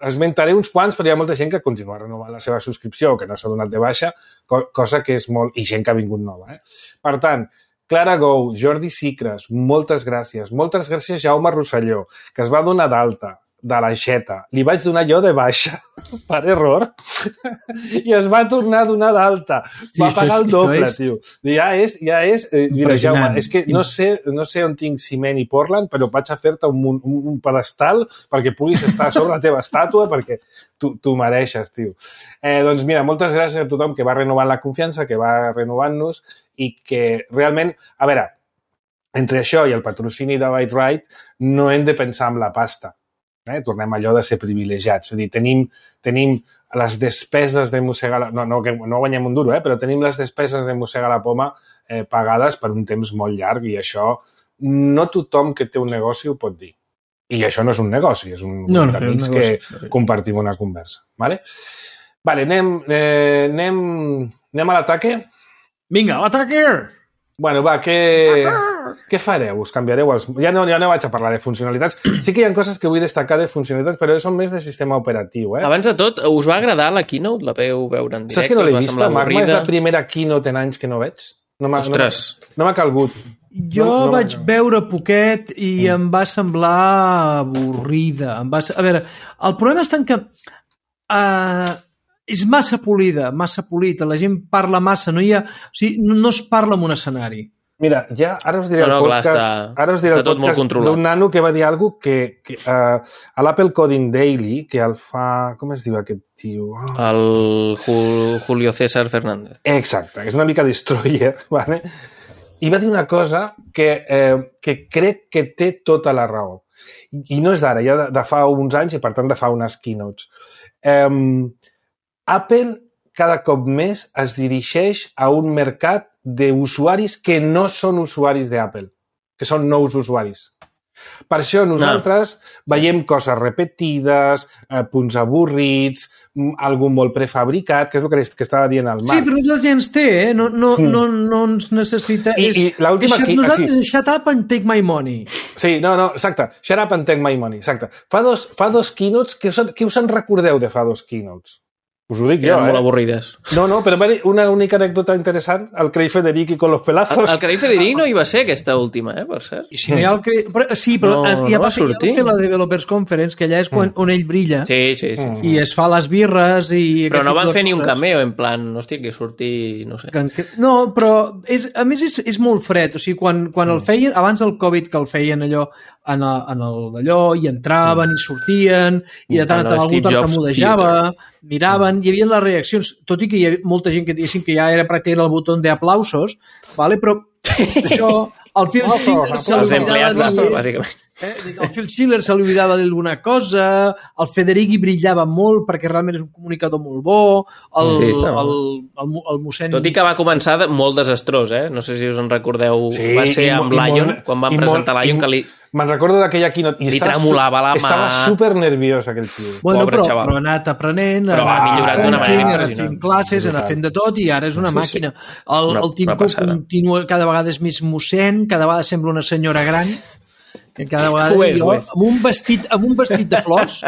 esmentaré uns quants, però hi ha molta gent que continua renovant la seva subscripció o que no s'ha donat de baixa, cosa que és molt... i gent que ha vingut nova. Eh? Per tant, Clara Gou, Jordi Sicres, moltes gràcies. Moltes gràcies Jaume Rosselló, que es va donar d'alta de l'aixeta. Li vaig donar jo de baixa, per error, i es va tornar a donar d'alta. Va sí, pagar el doble, és... tio. Ja és... Ja és eh, mira, Jaume, és que no sé, no sé on tinc ciment i Portland, però vaig a fer-te un, un, un pedestal perquè puguis estar sobre la teva estàtua, perquè tu, tu mereixes, tio. Eh, doncs mira, moltes gràcies a tothom que va renovant la confiança, que va renovant-nos i que realment... A veure, entre això i el patrocini de Bytride no hem de pensar en la pasta. Eh? Tornem a allò de ser privilegiats. És a dir, tenim, tenim les despeses de mossegar... La... No, no, que no guanyem un duro, eh? Però tenim les despeses de mossegar la poma eh, pagades per un temps molt llarg i això no tothom que té un negoci ho pot dir. I això no és un negoci, és un no, no, amics un negoci. Que compartim una conversa. Vale? Vale, anem, eh, anem, anem a l'ataque? Vinga, l'ataque! Bueno, va, què, què fareu? Us canviareu els... Ja no, ja no vaig a parlar de funcionalitats. Sí que hi ha coses que vull destacar de funcionalitats, però són més de sistema operatiu. Eh? Abans de tot, us va agradar la keynote? La veu veure en directe? Saps que no l'he us va vista? semblar Magma avorrida? és la primera keynote en anys que no veig. No m'ha Ostres. no, no m'ha calgut. Jo no, no, vaig no. veure poquet i mm. em va semblar avorrida. Em va... A veure, el problema està en que uh, és massa polida, massa polida. La gent parla massa, no hi ha... O sigui, no, no es parla en un escenari. Mira, ja ara us diré no, no, el podcast, clar, està, ara us diré el podcast d'un nano que va dir alguna cosa que, que uh, a l'Apple Coding Daily, que el fa... Com es diu aquest tio? Oh. El Julio César Fernández. Exacte, és una mica destroyer, ¿vale? I va dir una cosa que, eh, que crec que té tota la raó. I no és d'ara, ja de, de fa uns anys i per tant de fa unes keynotes. Um, Apple cada cop més es dirigeix a un mercat d'usuaris que no són usuaris d'Apple, que són nous usuaris. Per això nosaltres no. veiem coses repetides, eh, punts avorrits, algun molt prefabricat, que és el que, que estava dient el Marc. Sí, però la gent té, eh? No, no, mm. no, no ens necessita... I, és, i l'última... és, Qui... nosaltres, Ah, sí. shut up and take my money. Sí, no, no, exacte. Shut up and take my money, exacte. Fa dos, fa dos keynotes, que us, que us en recordeu de fa dos keynotes? Us ho dic Eren jo, molt eh? avorrides. No, no, però una única anècdota interessant, el Craig Federici con los pelazos. El, el Craig Federici no hi va ser aquesta última, eh, per cert. I si no hi ha el que... Però, sí, però No, ja no va va fer, sortir. ja va fer la Developers Conference, que allà és quan, on ell brilla, Sí, sí, sí. i es fa les birres i... Però no aquest van tipus de fer ni un coses. cameo, en plan, hòstia, que surti, no sé. Que- No, però és, a més és, és molt fred, o sigui, quan, quan el feien, abans del Covid que el feien allò en, el, en el d'allò, i entraven i sortien, i de tant en En el tant algú Steve Jobs tartamudejava, miraven, hi havia les reaccions, tot i que hi havia molta gent que diguessin que ja era pràcticament el botó d'aplausos, vale? Però això, el Phil No, Schiller se Els li empleats oblidava d'Apple, dir- bàsicament. Eh? El Phil Schiller se li oblidava d'alguna cosa, el Federici brillava molt perquè realment és un comunicador molt bo, el, Sí, sí, està el, molt. el, el, el mossèn... Tot i que va començar de- molt desastrós, eh? No sé si us en recordeu. Sí, va ser i mo- amb i Lion, molt- quan van i presentar molt- Lion, i- que li... Me'n recordo d'aquella keynote. I Li estava tremolava la mà. Estava super nerviós, aquell tio. Bueno, Pobre però, xaval. però ha anat aprenent, Però ha millorat d'una manera ha anat impressionant. fent classes, ha anat fent de tot i ara és una Sí, sí. màquina. El, Una- el Tim una Cook passada. continua, cada vegada és més mossèn, cada vegada sembla una senyora gran, que cada vegada Ho és, jo, ho és. amb un vestit, amb un vestit de flors,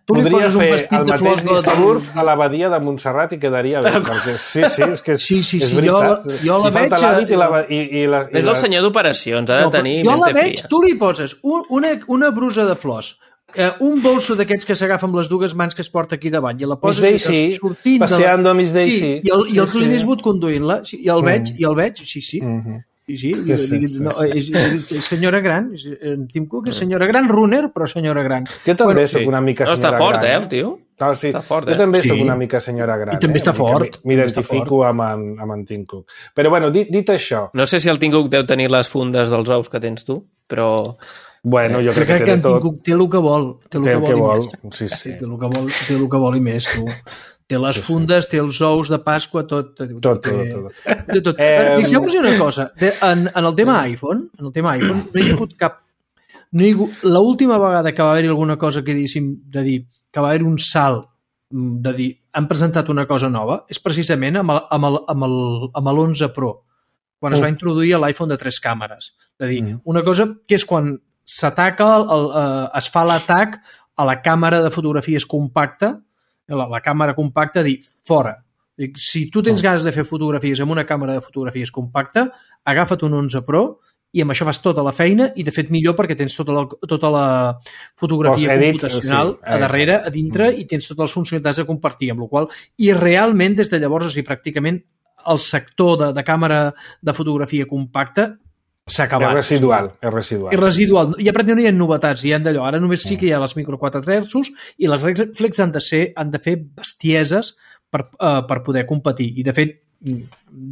tu li Podria poses un fer vestit el de mateix flors de, de, discurs a l'abadia de Montserrat i quedaria bé, perquè sí, sí, és que és, Sí, sí, és sí, jo veritat. la- jo la Li falta veig, l'hàbit i, la, eh, i, i, la, i És el les- senyor d'operacions, ha de No, però tenir jo la mente veig, fria. tu li poses un, una, una brusa de flors, eh, un bolso d'aquests que s'agafa amb les dues mans que es porta aquí davant i la Miss poses Daisy, sortint de la- passeando a Miss Daisy. Sí, i el, i el Sí, Clint sí. Eastwood conduint-la, sí, i el veig, i el veig, sí, sí. Mhm. Sí, sí, Sí, sí, sí, sí, no, sí. És, és, és senyora gran, és, en Tim Cook és senyora gran, runner, però senyora gran. Jo també Bueno, sóc una mica No, senyora està fort, gran. eh, el tio? No, sí. Està fort, Jo eh? també Sí. sóc una mica senyora gran. I també eh? està Una mica fort, mi- també està M'identifico amb, en, amb en Tim Cook. Però, bueno, dit, dit això, No sé si el Tim Cook deu tenir les fundes dels ous que tens tu, però... bueno, jo crec, crec que que té en de Tim tot. Cook té el que vol, té el Té que el vol, que i vol. més. Sí, sí. Té el que vol, té el que vol i més, tu. Té les fundes, té els ous de Pasqua, tot. Tot, Tot, té- tot, té tot. Eh, Fixeu-vos una cosa, de, en, en el tema iPhone, en el tema iPhone, no hi ha hagut cap... No hi ha hagut, l'última vegada que va haver-hi alguna cosa que diguéssim, de dir, que va haver-hi un salt de dir, han presentat una cosa nova, és precisament amb el, amb el, amb el, amb l'onze Pro, quan es va introduir l'iPhone de tres càmeres. És a dir, Mm. una cosa que és quan s'ataca, el, el, eh, es fa l'atac a la càmera de fotografies compacta, la, la càmera compacta, dir, fora. Dic, si tu tens ganes de fer fotografies amb una càmera de fotografies compacta, agafa't un onze Pro i amb això fas tota la feina i, de fet, millor perquè tens tota la, tota la fotografia Post-edit, computacional sí, a darrere, exacte. a dintre, i tens totes les funcionalitats a compartir, amb la qual i realment, des de llavors, o sigui, pràcticament el sector de, de càmera de fotografia compacta s'ha acabat. És residual, és residual. És residual. Ja pràcticament no hi ha novetats, hi ha d'allò. Ara només sí que hi ha les micro quatre terços i les reflex han de ser, han de fer bestieses per, uh, per poder competir. I, de fet,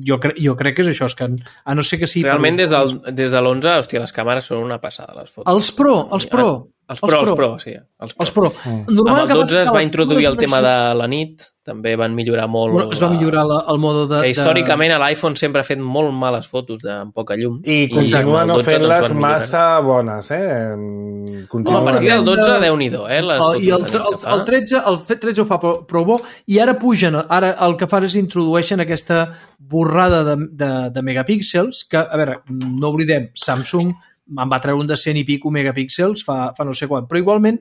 jo, cre jo crec que és això, és que a no ser que sigui... Realment, des, del, des de l'onze, hòstia, les càmeres són una passada, les fotos. Els Pro, els Pro. Els Pro, els Pro, sí. Els Pro. Els Pro. Mm. Amb el dotze es va introduir el tema de la nit, també van millorar molt... Bueno, es va millorar la, el mode de... Que històricament de... l'iPhone sempre ha fet molt males fotos de, amb poca llum. I continua no fent-les massa bones, eh? No, a partir del dotze, Déu-n'hi-do, eh? Les el, I el, el, el, tretze, el tretze ho fa prou bo, i ara pugen, ara el que fan és introdueixen aquesta borrada de, de, de megapíxels, que, a veure, no oblidem, Samsung em va treure un de cent i pico megapíxels fa, fa no sé quan, però igualment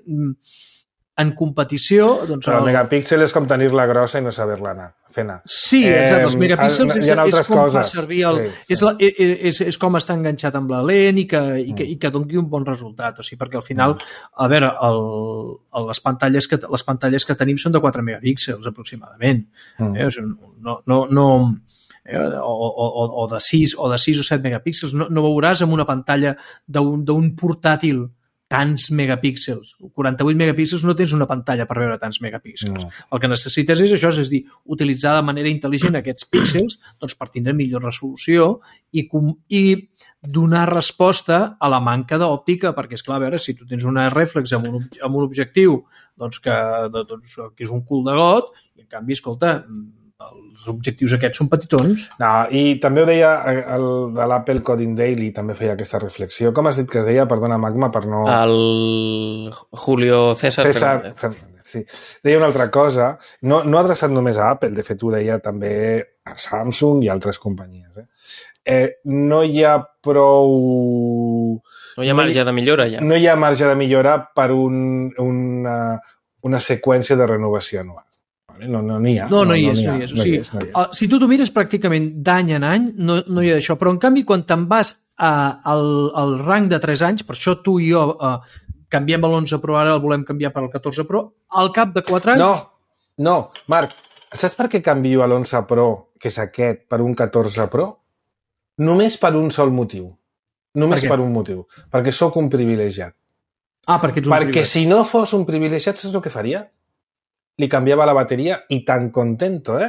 en competició... Doncs, però el megapíxel és com tenir-la grossa i no saber-la anar, fer anar. Sí, exacte, els megapíxels eh, és, és com coses. fa servir el... Sí, sí. És, la, és, és com està enganxat amb la lent i que, i que, i que doni un bon resultat, o sigui, perquè al final, a veure, el, el, les, pantalles que, les pantalles que tenim són de quatre megapíxels aproximadament. Mm. Eh? O sigui, no... no, no O, o, o de sis o de sis o set megapíxels. No, no veuràs en una pantalla d'un portàtil tants megapíxels. quaranta-vuit megapíxels no tens una pantalla per veure tants megapíxels. No. El que necessites és això, és dir, utilitzar de manera intel·ligent aquests píxels doncs, per tindre millor resolució i, i donar resposta a la manca d'òptica, perquè, esclar, a veure, si tu tens una rèflex amb un, amb un objectiu doncs, que, doncs, que és un cul de got, i en canvi, escolta, els objectius aquests són petitons. No, i també ho deia el de l'Apple Coding Daily, també feia aquesta reflexió. Com has dit que es deia? Perdona, Magma, per no... El Julio César, César Fernández. Fernández. Sí. Deia una altra cosa, no, no adreçat només a Apple, de fet ho deia també a Samsung i altres companyies. Eh? Eh, no hi ha prou... No hi ha marge de millora, ja. No hi ha marge de millora per un, una, una seqüència de renovació anual. No n'hi no, no ha. No, no hi és. No, no hi és. O sigui, no hi és, no hi és. Si tu t'ho mires pràcticament d'any en any, no, no hi ha d'això. Però, en canvi, quan te'n vas a, al, al rang de tres anys, per això tu i jo eh, canviem l'onze Pro, ara el volem canviar per al catorze Pro, al cap de quatre anys... No, no, Marc, saps per què canvio a l'onze Pro, que és aquest, per un catorze Pro? Només per un sol motiu. Només per, per un motiu. Perquè sóc un privilegiat. Ah, perquè ets un perquè privilegiat. Si no fos un privilegiat, saps el que faria? Li canviava la bateria i tan contento, eh?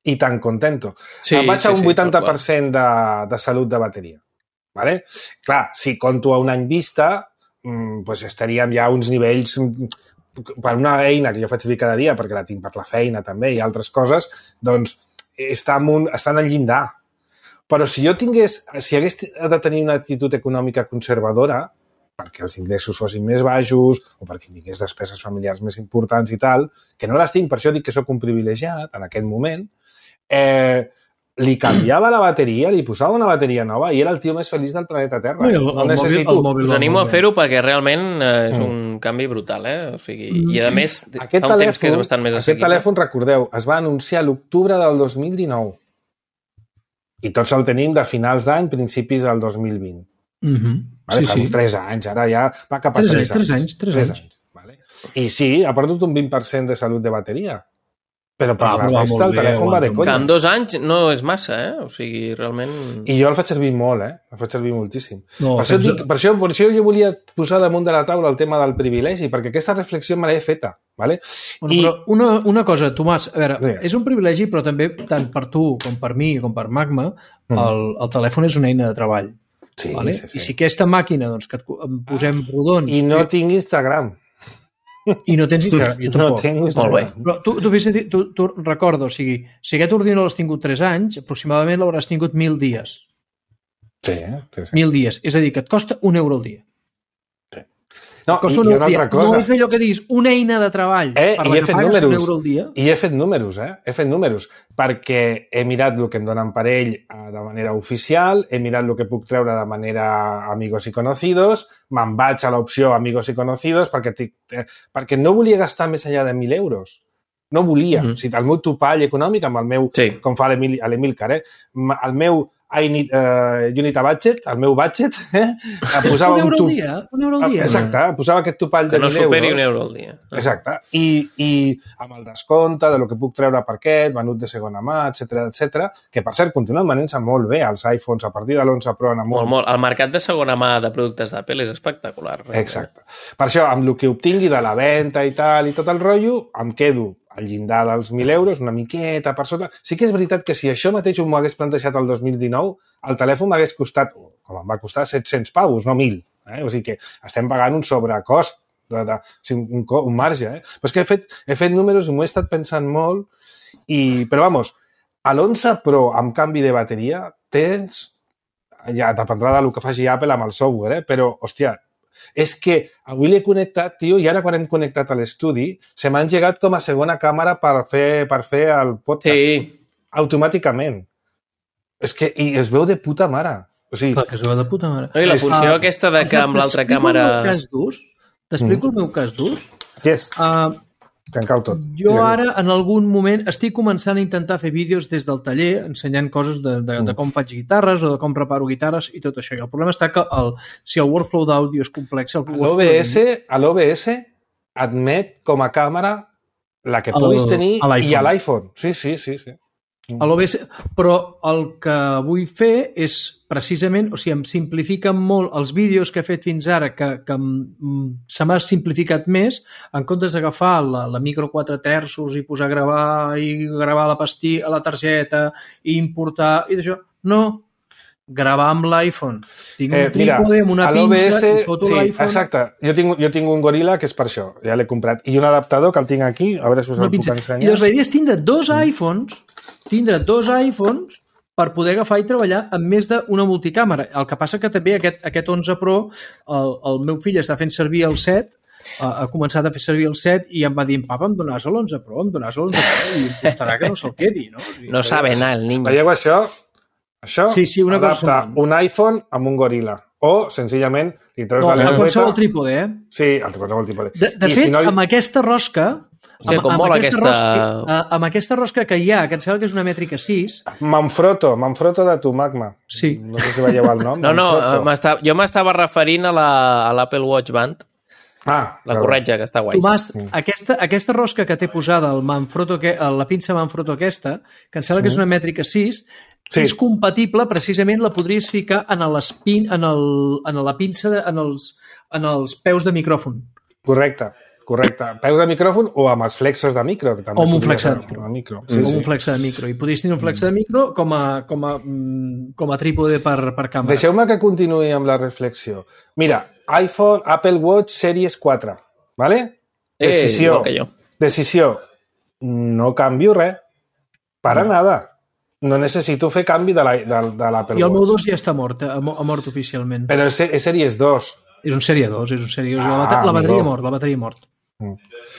I tan contento. Sí, em vaig sí, a un vuitanta per cent sí, de, de salut de bateria. Vale? Clar, si conto a un any vista, mmm, pues estaríem ja a uns nivells... Per una eina que jo faig servir cada dia, perquè la tinc per la feina també i altres coses, doncs està en un, està en el llindar. Però si jo tingués... Si hagués de tenir una actitud econòmica conservadora, perquè els ingressos fossin més baixos o perquè tingués despeses familiars més importants i tal, que no les tinc, per això dic que sóc un privilegiat en aquell moment, eh, li canviava la bateria, li posava una bateria nova i era el tio més feliç del planeta Terra. No, el, el, no necessito... el mòbil, Us animo a fer-ho perquè realment eh, és un mm. canvi brutal, eh? O sigui, i a més, aquest fa un telèfon, temps que és bastant més assequible. Aquest telèfon, recordeu, es va anunciar a l'octubre del dos mil dinou i tots el tenim de finals d'any, principis del dos mil vint. Mm-hmm. Vale, sí, fa sí. uns tres anys, ara ja va cap a tres, tres, tres anys. Tres anys, tres anys. anys. Vale. I sí, ha perdut un vint per cent de salut de bateria. Però per ah, la però resta el telèfon bé, va de conya. Que amb dos anys no és massa, eh? O sigui, realment... I jo el faig servir molt, eh? El faig servir moltíssim. No, per, això dic, per, això, per això jo volia posar damunt de la taula el tema del privilegi, perquè aquesta reflexió me l'he feta, vale? Bueno, I... però una, una cosa, Tomàs, a veure, sí. és un privilegi, però també, tant per tu com per mi com per Magma, mm. el, el telèfon és una eina de treball. Sí, vale? sí, sí. I si aquesta màquina, doncs, que et posem rodons... I no que... tinc Instagram. I no tens Instagram, jo tampoc. No tinc Instagram. Molt bé. Però tu, tu, tu, tu, tu recorda, o sigui, si aquest ordinador l'has tingut tres anys, aproximadament l'hauràs tingut mil dies. Sí, sí, sí. Mil dies. És a dir, que et costa un euro al dia. Sí. No, i, i una altra cosa. No és allò que diguis, una eina de treball eh, per la la que pagues números. un euro al dia. I he fet números, eh? He fet números, perquè he mirat el que em donen per ell de manera oficial, he mirat el que puc treure de manera amigos y conocidos, me'n vaig a l'opció amigos y conocidos perquè, perquè no volia gastar més enllà de mil euros. No volia. Mm-hmm. O sigui, el meu topall econòmic, amb el meu, sí. com fa l'Emilcar, eh? El meu I need, uh, you need a budget, el meu budget, eh? Posava un euro un, al dia, un euro al dia. Exacte, posava aquest topall de mil euros. Que no superi un euro al dia. Exacte. I, i amb el descompte de lo que puc treure per aquest, venut de segona mà, etcètera, etcètera, que per cert continuen venent-se molt bé els iPhones a partir de l'onze Pro en amunt. Molt, molt. El mercat de segona mà de productes d'Apple és espectacular. Realment. Exacte. Per això, amb el que obtingui de la venda i tal i tot el rotllo, em quedo al llindar dels mil euros, una miqueta per sota. Sí que és veritat que si això mateix m'ho hagués plantejat el dos mil dinou, el telèfon m'hagués costat, com em va costar, set-cents pavos, no mil. Eh? O sigui que estem pagant un sobrecost De, de, o sigui, un, un marge, eh? Però és que he fet, he fet números i m'ho he estat pensant molt, i, però vamos, a l'onze Pro amb canvi de bateria tens, ja dependrà del que faci Apple amb el software, eh? Però, hòstia, és que avui l'he connectat, tio, i ara quan hem connectat a l'estudi, se m'ha engegat com a segona càmera per fer, per fer el podcast. Sí. Automàticament. És que i es veu de puta mare. O sigui, Clar, que es veu de puta mare. I la funció uh, aquesta de que amb l'altra càmera... T'explico el meu cas d'ús? T'explico mm. el meu cas d'ús? Què és? Uh, que en cau tot. Jo ara, en algun moment, estic començant a intentar fer vídeos des del taller, ensenyant coses de, de, de com faig guitarres o de com preparo guitarres i tot això. I el problema està que el, si el workflow d'àudio és complex... L'O B S, a l'O B S admet com a càmera la que puguis el, tenir a i a l'iPhone. Sí, sí, sí, sí. A l'O B S, però el que vull fer és precisament, o sigui, em simplifiquen molt els vídeos que he fet fins ara, que, que se m'ha simplificat més, en comptes d'agafar la, la micro quatre terços i posar a gravar i gravar la pastilla a la targeta i importar i d'això. No, gravar amb l'iPhone. Tinc un eh, trípode amb una pinça i foto sí, l'iPhone. Exacte. Jo tinc, jo tinc un Gorilla que és per això, ja l'he comprat. I un adaptador que el tinc aquí, a veure si us el puc ensenyar. I doncs la idea és tindre dos iPhones tindre dos iPhones per poder agafar i treballar amb més d'una multicàmera. El que passa que també aquest, aquest onze Pro, el, el meu fill està fent servir el set, ha començat a fer servir el set i em va dir, papa, em donaràs l'onze Pro, em donaràs l'onze Pro i em costarà que no se'l quedi, no? No sabe anar el niño. Veieu això? Això sí, sí, una adapta cosa un iPhone amb un Gorilla. O, senzillament, li treus no, la lengüeta... No, qualsevol trípode, eh? Sí, el qualsevol trípode. De, de fet, si no li... amb aquesta rosca... Sí, com amb, molt amb, aquesta aquesta... rosca, amb aquesta rosca que hi ha, que em sembla que és una mètrica sis... Manfrotto, Manfrotto de tu, Magma. Sí. No sé si veieu el nom. No, no, jo m'estava referint a l'Apple Watch Band. Ah, la corretja, que està guai. Tomàs, mm. aquesta, aquesta rosca que té posada el Manfrotto, la pinça Manfrotto aquesta, que em sembla que és una mètrica sis, sí. És compatible, precisament la podries ficar en, l'espin, en, el, en la pinça, de, en, els, en els peus de micròfon. Correcte. Correcte. Peus de micròfon o amb els flexos de micro. Que també o amb un flex de micro. micro. Sí, o sí. un flex de micro. I podries tenir un flex de micro com a, com a, com a trípode per, per càmera. Deixeu-me que continuï amb la reflexió. Mira, iPhone, Apple Watch Series quatre. ¿Vale? Decisió. Eh, decisió. No canvio res. Para mm. nada. No necessito fer canvi de l'Apple Watch. I el meu dos ja està mort, ha mort oficialment. Però és, és Series dos. És un Sèrie dos, és un Sèrie dos. Ah, la, la bateria mort, la bateria mort.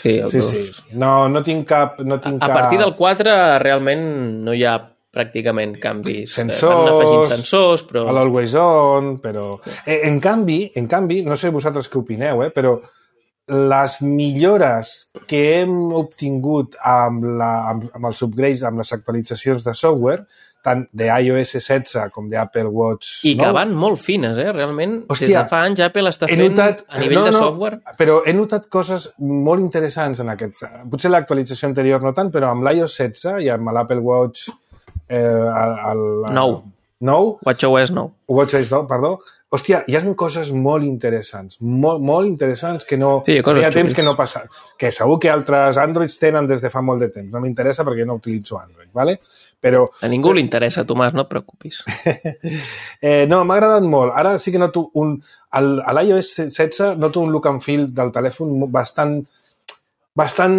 Sí, sí, sí. No, no tinc cap... No tinc a, cap... a partir del quatre realment no hi ha pràcticament canvis. Sensors, van afegint sensors, però... a l'Always On, però... En canvi, en canvi, no sé vosaltres què opineu, eh, però les millores que hem obtingut amb, la, amb, amb els upgrades, amb les actualitzacions de software, tant d'iOS setze com d'Apple Watch... I que no? van molt fines, eh? Realment, Hòstia, des de fa anys Apple està fent notat, a nivell no, de no, software... Però he notat coses molt interessants en aquests... Potser l'actualització anterior no tant, però amb l'iOS setze i amb l'Apple Watch... Eh, el, el, nou. Nou? WatchOS nou. WatchOS nou, perdó. Hòstia, hi ha coses molt interessants, molt, molt interessants que no... Sí, hi ha temps que no passa. Que segur que altres Androids tenen des de fa molt de temps. No m'interessa perquè no utilitzo Android, ¿vale? Però... A ningú li interessa, Tomàs, no et preocupis. eh, no, m'ha agradat molt. Ara sí que noto un... A l'iOS setze noto un look and feel del telèfon bastant... bastant...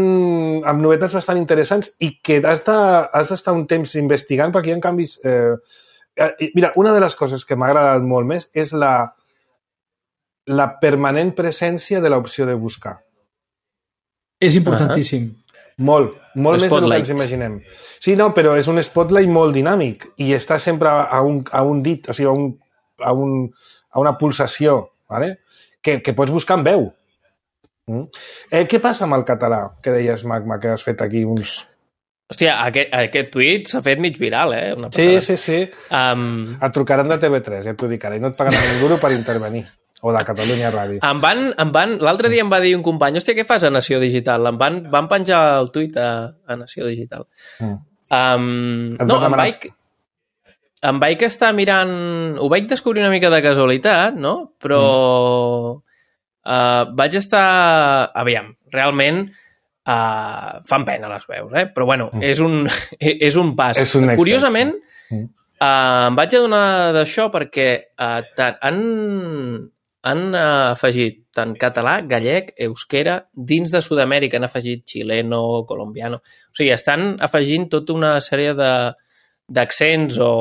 amb novetats bastant interessants i que has d'estar un temps investigant perquè hi ha canvis... Eh, mira, una de les coses que m'ha agradat molt més és la, la permanent presència de l'opció de buscar. És importantíssim. Uh-huh. Molt, molt més del que ens imaginem. Sí, no, però és un spotlight molt dinàmic i està sempre a un, a un dit, o sigui, a, un, a, un, a una pulsació, ¿vale? que, que pots buscar en veu. Mm? Eh, què passa amb el català, que deies, Magma, que has fet aquí uns... Hòstia, aquest, aquest tuit s'ha fet mig viral, eh? Una sí, sí, sí. Um... Et trucaran de T V tres, ja t'ho dic ara, i no et pagaran un duro per intervenir. O de Catalunya Ràdio. Em van, em van, l'altre dia em va dir un company, hòstia, què fas a Nació Digital? Em van, van penjar el tuit a, a Nació Digital. Mm. Um, no, em vaig, em vaig estar mirant... Ho vaig descobrir una mica de casualitat, no? Però mm. uh, vaig estar... Aviam, realment uh, fan pena les veus, eh? Però bueno, mm. és, un, és un pas. És un Curiosament, mm. uh, em vaig adonar d'això perquè uh, han... han afegit tant català, gallec, euskera, dins de Sud-amèrica han afegit xileno, colombiano... O sigui, estan afegint tota una sèrie de d'accents o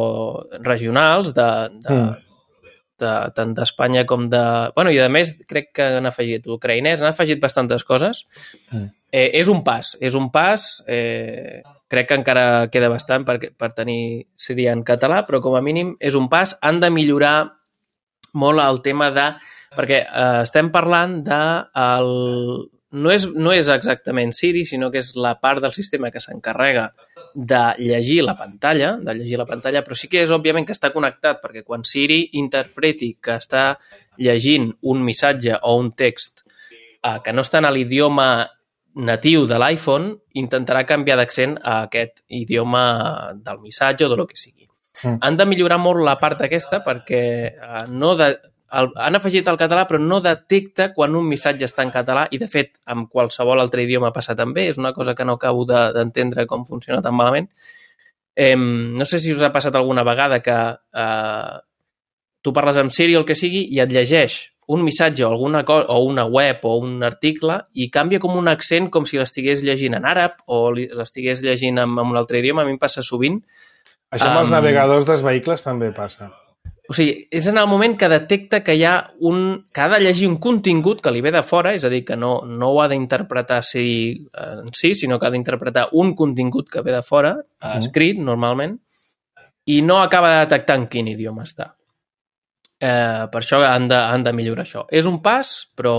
regionals de, de, mm. de, tant d'Espanya com de... Bueno, i a més crec que han afegit ucraïnès, han afegit bastantes coses. Mm. Eh, és un pas, és un pas... Eh, crec que encara queda bastant per, per tenir sèrie en català, però com a mínim és un pas. Han de millorar molt el tema de... Perquè eh, estem parlant de... El, no, és, no és exactament Siri, sinó que és la part del sistema que s'encarrega de llegir la pantalla, de llegir la pantalla, però sí que és òbviament que està connectat, perquè quan Siri interpreti que està llegint un missatge o un text eh, que no està en l'idioma natiu de l'iPhone, intentarà canviar d'accent a aquest idioma del missatge o de lo que sigui. Mm. Han de millorar molt la part aquesta perquè eh, no de, el, han afegit el català però no detecta quan un missatge està en català i, de fet, amb qualsevol altre idioma passa també. És una cosa que no acabo d'entendre de, com funciona tan malament. Eh, no sé si us ha passat alguna vegada que eh, tu parles amb Siri o el que sigui i et llegeix un missatge o alguna cosa, o una web o un article i canvia com un accent com si l'estigués llegint en àrab o l'estigués llegint en, en un altre idioma. A mi em passa sovint. Això amb um, els navegadors dels vehicles també passa. O sigui, és en el moment que detecta que hi ha un... que ha de llegir un contingut que li ve de fora, és a dir, que no, no ho ha d'interpretar Siri en si, sinó que ha d'interpretar un contingut que ve de fora, uh-huh. escrit normalment, i no acaba de detectar en quin idioma està. Eh, per això han de, han de millorar això. És un pas, però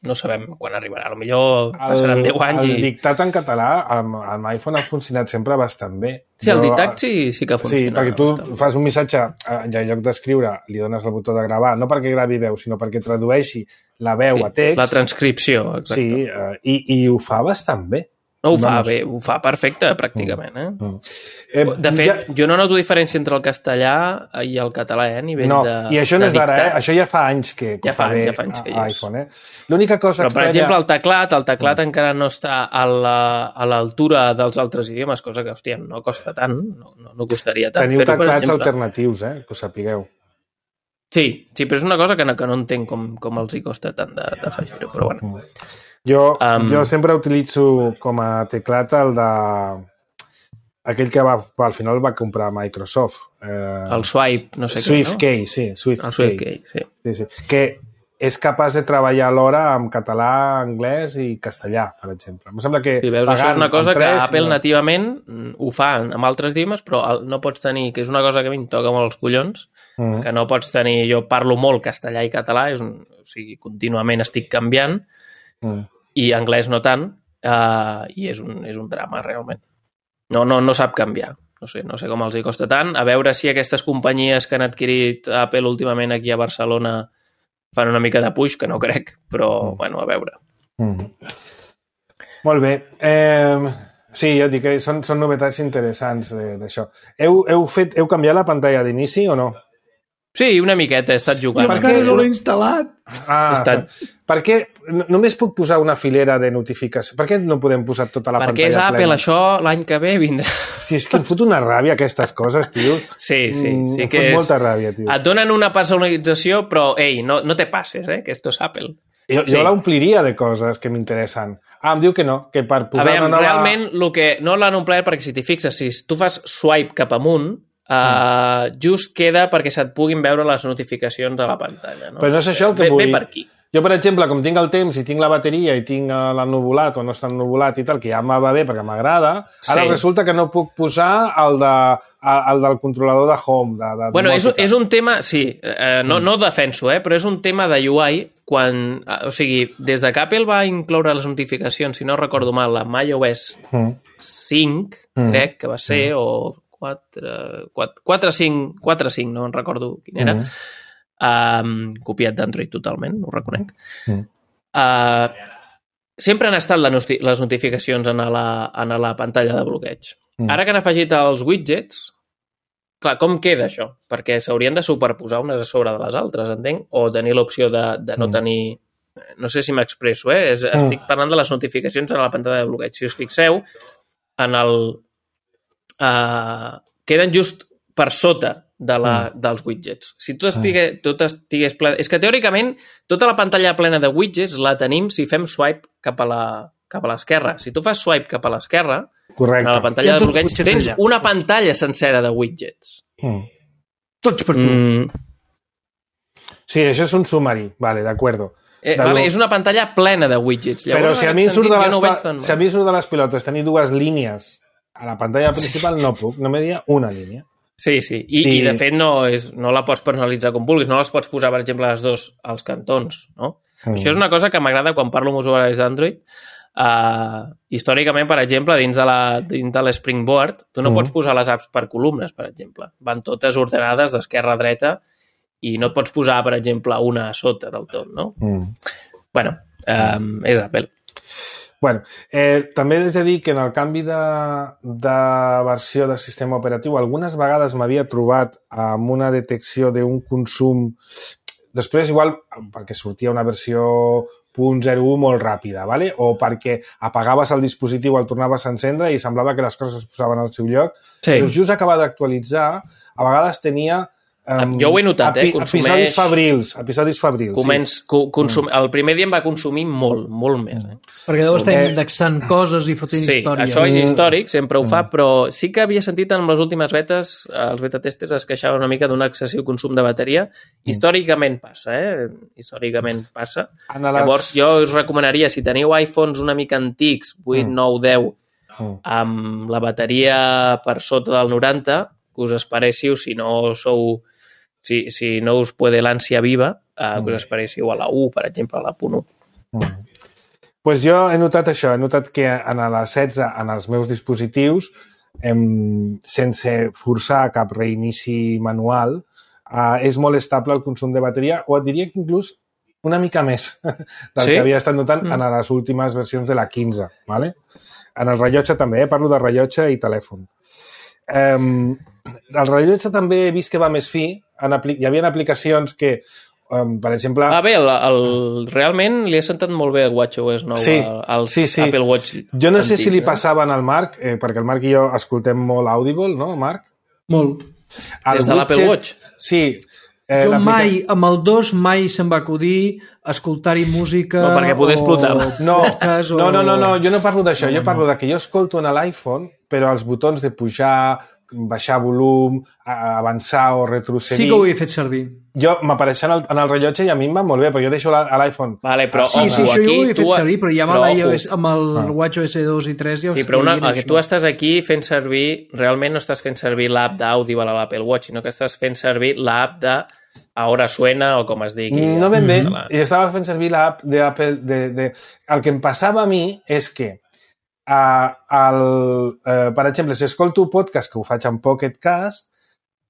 no sabem quan arribarà. A lo millor passaran deu anys i... El dictat en català amb, amb iPhone ha funcionat sempre bastant bé. Sí, el dictat sí, sí que funciona. Sí, perquè tu fas un missatge i en lloc d'escriure li dones el botó de gravar, no perquè gravi veu, sinó perquè tradueixi la veu sí, a text. La transcripció, exacte. Sí, eh, i, i ho fa bastant bé. No, ho fa Vamos. bé, ho fa perfecte, pràcticament. Eh? Mm. Eh, de fet, ja... jo no noto diferència entre el castellà i el català, eh, a nivell no, de i això no és d'ara, eh? Això ja fa anys que, que ja fa, fa anys, bé ja fa anys que a iPhone, eh? L'única cosa Però, estranya... per exemple, el teclat, el teclat mm. encara no està a l'altura dels altres idiomes, cosa que, hòstia, no costa tant, no, no, no costaria tant Teniu fer-ho, teclats alternatius, eh? Que ho sapigueu. Sí, sí, però és una cosa que no, que no entenc com, com els hi costa tant d'afegir-ho, però bueno. Mm. Jo, um, jo sempre utilitzo com a teclat el de... aquell que va, al final va comprar Microsoft. Eh, el Swipe, no sé Swift què, Key, no? sí. Swift el Swift Key, Key, sí. sí, sí. Que és capaç de treballar alhora amb català, anglès i castellà, per exemple. Em sembla que... Sí, veus, això és una cosa que Apple no... nativament ho fa amb altres idiomes, però no pots tenir, que és una cosa que a mi em toca molt els collons, mm-hmm. que no pots tenir... Jo parlo molt castellà i català, és un, o sigui, contínuament estic canviant, mm. i anglès no tant, uh, i és un, és un drama, realment. No, no, no sap canviar. No sé, no sé com els hi costa tant. A veure si aquestes companyies que han adquirit Apple últimament aquí a Barcelona fan una mica de puix, que no crec, però, mm. bueno, a veure. Mm. Molt bé. Eh, sí, ja et dic que són, són novetats interessants d'això. Heu, heu, fet, heu canviat la pantalla d'inici o no? Sí, una miqueta, he estat jugant. Jo encara no l'he instal·lat. Ah, estat... per què només puc posar una filera de notificació? Per què no podem posar tota la Perquè pantalla és plena? Apple, això l'any que ve vindrà. Si és que em fot una ràbia aquestes coses, tio. Sí, sí. sí em que fot és... molta ràbia, tio. Et donen una personalització, però, ei, no, no te passes, eh, que esto és Apple. Jo, sí. jo l'ompliria de coses que m'interessen. Ah, em diu que no, que per posar a veure, una nova... realment, lo que no l'han omplert, perquè si t'hi fixes, si tu fas swipe cap amunt, Uh, just queda perquè se't puguin veure les notificacions a la pantalla. No? Però no és això el que ve, vull. Ve per aquí. Jo, per exemple, com tinc el temps i tinc la bateria i tinc l'ennuvolat o no està ennuvolat i tal, que ja em va bé perquè m'agrada, ara sí. Resulta que no puc posar el, de, el del controlador de home. De, de bueno, és, és un tema, sí, eh, no, no defenso, eh, però és un tema de U I quan, o sigui, des de que Apple va incloure les notificacions, si no recordo mal, amb iOS mm. cinc, mm. crec que va ser, mm. o quatre, cinc, no en recordo quin era, mm. um, copiat d'Android totalment, ho reconec. Mm. Uh, sempre han estat les notificacions en la, en la pantalla de bloqueig. Mm. Ara que han afegit els widgets, clar, com queda això? Perquè s'haurien de superposar unes a sobre de les altres, entenc? O tenir l'opció de, de no mm. tenir... No sé si m'expresso, eh? És, mm. Estic parlant de les notificacions en la pantalla de bloqueig. Si us fixeu, en el... Uh, queden just per sota de la, mm. dels widgets. Si tot estigués, tot estigués ple... És que teòricament tota la pantalla plena de widgets la tenim si fem swipe cap a la cap a l'esquerra. Si tu fas swipe cap a l'esquerra, a la pantalla de bloqueig tens allà. Una pantalla sencera de widgets. Mm. Tots per tu. Mm. Sí, això és un sumari. Vale, d'acuerdo. Eh, vale, és una pantalla plena de widgets. Llavors, però si a, mi surt de les, no tan... si a mi surt de les pilotes tenir dues línies a la pantalla principal, sí. no puc. No m'he dit una línia. Sí, sí. I, I... I de fet, no, és, no la pots personalitzar com vulguis. No les pots posar, per exemple, les dues als cantons. No? Mm. Això és una cosa que m'agrada quan parlo amb usuaris d'Android. Uh, històricament, per exemple, dins de, la, dins de l'Springboard, tu no mm. pots posar les apps per columnes, per exemple. Van totes ordenades d'esquerra a dreta i no et pots posar, per exemple, una a sota del tot, no? Mm. Bueno, um, és Apple. Bueno, eh, també he de dir que en el canvi de, de versió del sistema operatiu algunes vegades m'havia trobat amb una detecció d'un consum... Després, igual, perquè sortia una versió punt zero u molt ràpida, ¿vale? O perquè apagaves el dispositiu, el tornaves a encendre i semblava que les coses es posaven al seu lloc. Sí. Però just acabar d'actualitzar, a vegades tenia... Um, jo ho he notat, eh? Consumeix... Episodis fabrils, episodis fabrils. Començ, sí. consum... El primer dia em va consumir molt, molt més. Eh? Perquè deu estar indexant coses i fotent sí, històries. Sí, això és històric, sempre ho fa, però sí que havia sentit en les últimes betes, els beta-testers es queixaven una mica d'un excessiu consum de bateria. Històricament passa, eh? Històricament passa. Les... Llavors, jo us recomanaria, si teniu iPhones una mica antics, vuit, nou, deu, amb la bateria per sota del noranta, que us esperéssiu, si no sou... Si, si no us puede l'ànsia viva, eh, que us esperéssiu a la u, per exemple, a la punt u. Mm. Pues jo he notat això, he notat que en la setze, en els meus dispositius, em, sense forçar cap reinici manual, eh, és molt estable el consum de bateria, o et diria que inclús una mica més del sí? que havia estat notant mm. en les últimes versions de la quinze. ¿Vale? En el rellotge també, eh? Parlo de rellotge i telèfon. Um, el rellotge també he vist que va més fi. En apli- hi havia aplicacions que, um, per exemple... Ah, bé, el, el, realment li ha sentat molt bé el WatchOS nou sí, als sí, sí. Apple Watch. Jo no sé antics, si li eh? passaven al Marc, eh, perquè el Marc i jo escoltem molt Audible, no, Marc? Molt. El Des de l'Apple Watch? Sí. Eh, jo mai, amb el dos, mai se'm va acudir escoltar-hi música... No, perquè poder explotar. No, no, no, no, no, jo no parlo d'això, jo parlo de que jo escolto en l'iPhone, però els botons de pujar, baixar volum, avançar o retrocedir... Sí que ho he fet servir. Jo m'apareixen en el rellotge i a mi em va molt bé, però jo deixo a l'iPhone. Vale, però, sí, sí, això jo ho he fet tu... servir, però ja amb, iOS, amb el ah. WatchOS dos i tres ja ho sí, però una, que tu estàs aquí fent servir... Realment no estàs fent servir l'app d'Audible a l'Apple Watch, sinó que estàs fent servir l'app de Ahora Suena o com es digui. No ben bé, mm. jo estava fent servir l'app d'Apple... De, de... El que em passava a mi és que Uh, el, uh, per exemple, si escolto podcast, que ho faig en Pocket Cast,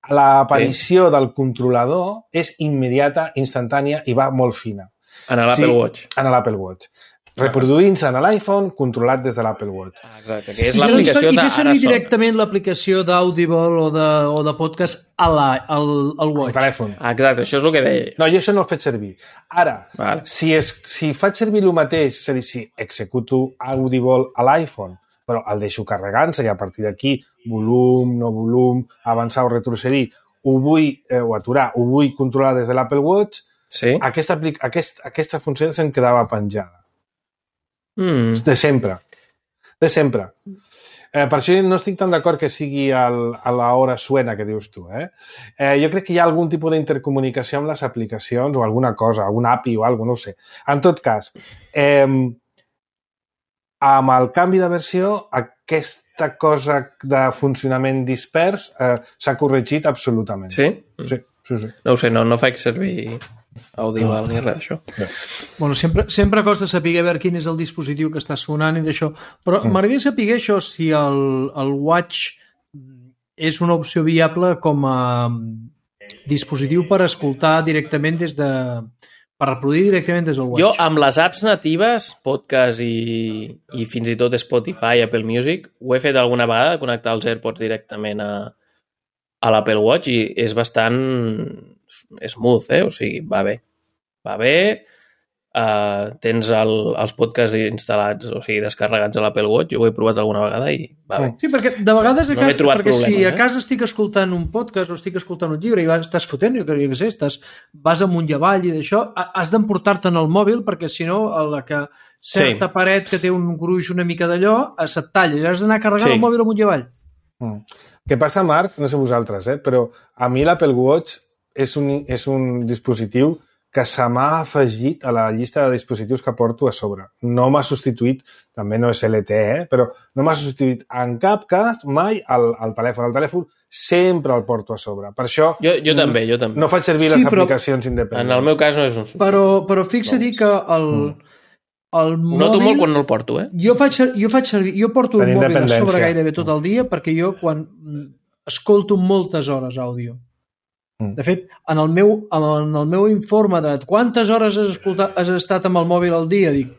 l'aparició sí. del controlador és immediata, instantània i va molt fina. En l'Apple sí, Watch. En l'Apple Watch. Reproduint-se en l'iPhone, controlat des de l'Apple Watch. Ah, exacte, que és sí, l'aplicació de Ara Sona. I fer servir directament l'aplicació d'Audible o, de, o de podcast a la, al, al Watch. Al telèfon. Ah, exacte, això és el que deia. No, jo això no el faig servir. Ara, vale. si, és, si faig servir el mateix, és a dir, si executo Audible a l'iPhone, però el deixo carregant-se i a partir d'aquí, volum, no volum, avançar o retrocedir, ho vull, eh, o aturar, ho vull controlar des de l'Apple Watch, sí. aquesta, aquest, aquesta funció se'm quedava penjada. Mm. De sempre. De sempre. Eh, per això no estic tan d'acord que sigui el, a l'hora suena que dius tu. Eh? Eh, jo crec que hi ha algun tipus d'intercomunicació amb les aplicacions o alguna cosa, algun A P I o alguna cosa, no ho sé. En tot cas, eh, amb el canvi de versió, aquesta cosa de funcionament dispers eh, s'ha corregit absolutament. Sí? Sí, sí, sí. No ho sé, no, no faig servir Audible no. ni res d'això. No. Bueno, sempre, sempre costa saber veure quin és el dispositiu que està sonant i d'això, però mm. m'agradaria saber això, si el, el Watch és una opció viable com a dispositiu per escoltar directament des de... per reproduir directament des del Watch. Jo, amb les apps natives, podcast i, i fins i tot Spotify, Apple Music, ho he fet alguna vegada, connectar els AirPods directament a, a l'Apple Watch i és bastant smooth, eh? O sigui, va bé. Va bé. Uh, tens el, els podcasts instal·lats, o sigui, descarregats a l'Apple Watch. Jo ho he provat alguna vegada i va bé. Sí, perquè de vegades a no casa, perquè problemes, si a eh? casa estic escoltant un podcast o estic escoltant un llibre i vas, estàs fotent, jo crec que sé, estàs, vas amunt i avall i d'això, has d'emportar-te'n el mòbil perquè si no, a la que certa sí. paret que té un gruix una mica d'allò, se't talla i has d'anar carregant sí. el mòbil amunt i avall. Mm. Què passa, Marc? No sé vosaltres, eh? Però a mi l'Apple Watch és un, és un dispositiu que se m'ha afegit a la llista de dispositius que porto a sobre. No m'ha substituït, també no és L T E, eh? Però no m'ha substituït en cap cas mai el, el telèfon. El telèfon sempre el porto a sobre. Per això... Jo, jo també, jo també. No faig servir sí, les però, aplicacions independents. En el meu cas no és un substitut. Però, però fixa-t'hi que el, el mòbil... Noto molt quan no el porto, eh? Jo faig, jo faig servir... Jo porto el mòbil a sobre gairebé tot el dia perquè jo quan escolto moltes hores àudio. De fet, en el meu, en el meu informe de quantes hores has, escoltat, has estat amb el mòbil al dia, dic,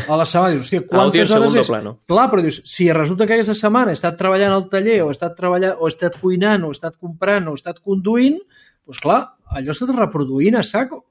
a la setmana, dius, hòstia, quantes hores és? Plano. Clar, però dius, si resulta que aquesta setmana he estat treballant al taller, o he estat treballant, o he estat cuinant, o he estat comprant, o he estat conduint, doncs clar, allò he estat reproduint a saco.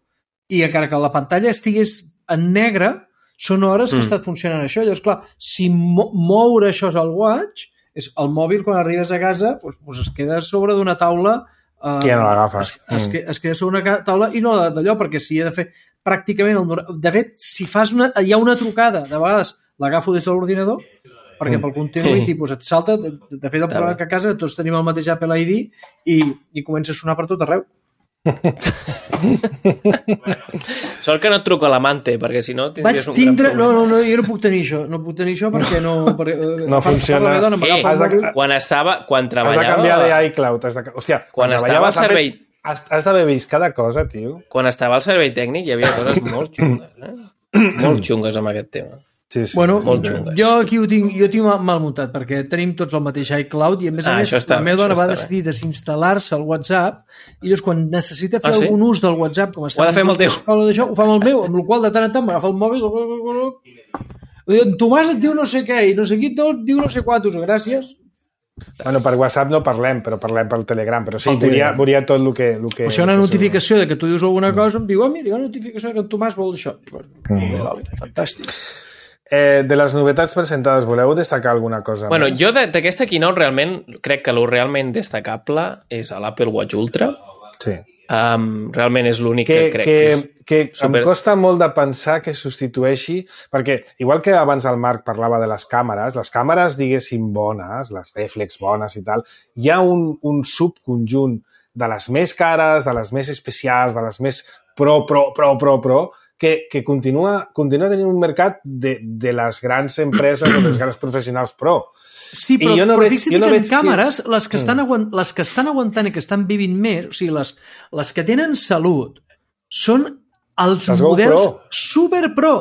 I encara que la pantalla estigués en negre, són hores que mm. ha estat funcionant això. Llavors, clar, si mo moure això és el watch, és el mòbil, quan arribes a casa, doncs, doncs es queda sobre d'una taula. Uh, ja no l'agafes. Es, es, es queda sobre una taula i no d'allò, perquè si he de fer pràcticament... El, de fet, si fas una, hi ha una trucada, de vegades l'agafo des de l'ordinador, perquè pel continuït pues, et salta, de, de fet el problema que a casa tots tenim el mateix Apple I D i, i comença a sonar per tot arreu. Sort que no et truco a l'amante, perquè si no tindries un tindre... gran problema. No, no, no, jo no puc tenir això, no puc tenir això perquè no... Perquè, no funciona. Dona, Ei, de... quan estava, quan treballava... Has de canviar d'iCloud. De... Hòstia, quan, quan estava al servei... Has, has d'haver vist cada cosa, tio. Quan estava al servei tècnic hi havia coses molt xungues, eh? molt xungues amb aquest tema. Sí, sí, bueno, jo aquí ho tinc, jo tinc mal muntat perquè tenim tots el mateix iCloud i a més a ah, més està, la meva dona va està decidir desinstal·lar-se el WhatsApp i llavors quan necessita fer ah, sí? algun ús del WhatsApp com està ho ha de fer amb el teu d'això, ho fa amb el meu, amb el qual de tant en tant m'agafa el mòbil en Tomàs et diu no sé què i no sé qui et diu no sé quantos, gràcies. Bueno, per WhatsApp no parlem, però parlem pel Telegram, però sí, veuria, veuria tot el que... El que o sigui, una notificació de que tu dius alguna cosa em diu, oh, mira, una notificació que en Tomàs vol això. Mm. Fantàstic. Eh, de les novetats presentades, voleu destacar alguna cosa? Bueno, més? jo d'aquesta keynote realment crec que el realment destacable és l'Apple Watch Ultra. Sí. Um, realment és l'únic que, que crec que, que és que super... em costa molt de pensar que substitueixi, perquè igual que abans el Marc parlava de les càmeres, les càmeres, diguéssim, bones, les reflex bones i tal, hi ha un, un subconjunt de les més cares, de les més especials, de les més pro, pro, pro, pro, pro, que, que continua, continua tenint un mercat de, de les grans empreses o dels grans professionals pro. Sí, però, no però fixa't no que en càmeres, que... les, que estan aguant, les que estan aguantant i que estan vivint més, o sigui, les, les que tenen salut, són els les models super pro.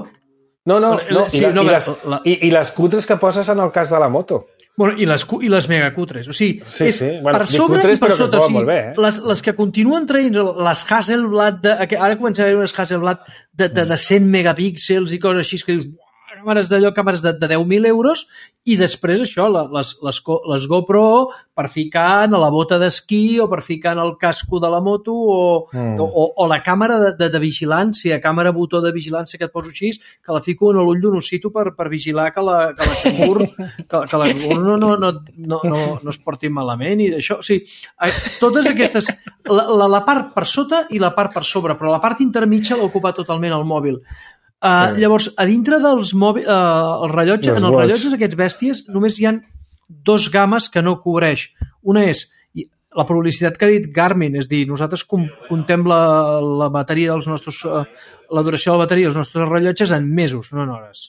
No, no, no, sí, i, la, no i, les, la... i, i les cutres que poses en el cas de la moto. Bueno, i les, i les megacutres, o sigui, sí, és sí. Bueno, per sobre cutres, i per sota, o sigui, bé, eh? les, les que continuen traient les Hasselblad, de, ara comença a haver unes Hasselblad de, de, de cent megapíxels i coses així que dius, càmeres d'allò, càmeres de, de deu mil euros i després això, les, les, les GoPro per ficar en la bota d'esquí o per ficar en el casco de la moto o, mm. o, o la càmera de, de, de vigilància, càmera botó de vigilància que et poso així, que la fico en l'ull d'un ossito per, per vigilar que la, que la cangur, que, que la cangur no, no, no, no, no, no es porti malament i d'això, o sigui, totes aquestes, la, la, la part per sota i la part per sobre, però la part intermitja l'ha ocupat totalment el mòbil. Uh, sí. Llavors, a dintre dels mòbils, uh, el rellotge, en els rellotges aquests bèsties només hi ha dos games que no cobreix. Una és la publicitat que ha dit Garmin, és dir, nosaltres contem la, la bateria dels nostres, uh, la duració de la bateria dels nostres rellotges en mesos, no en hores.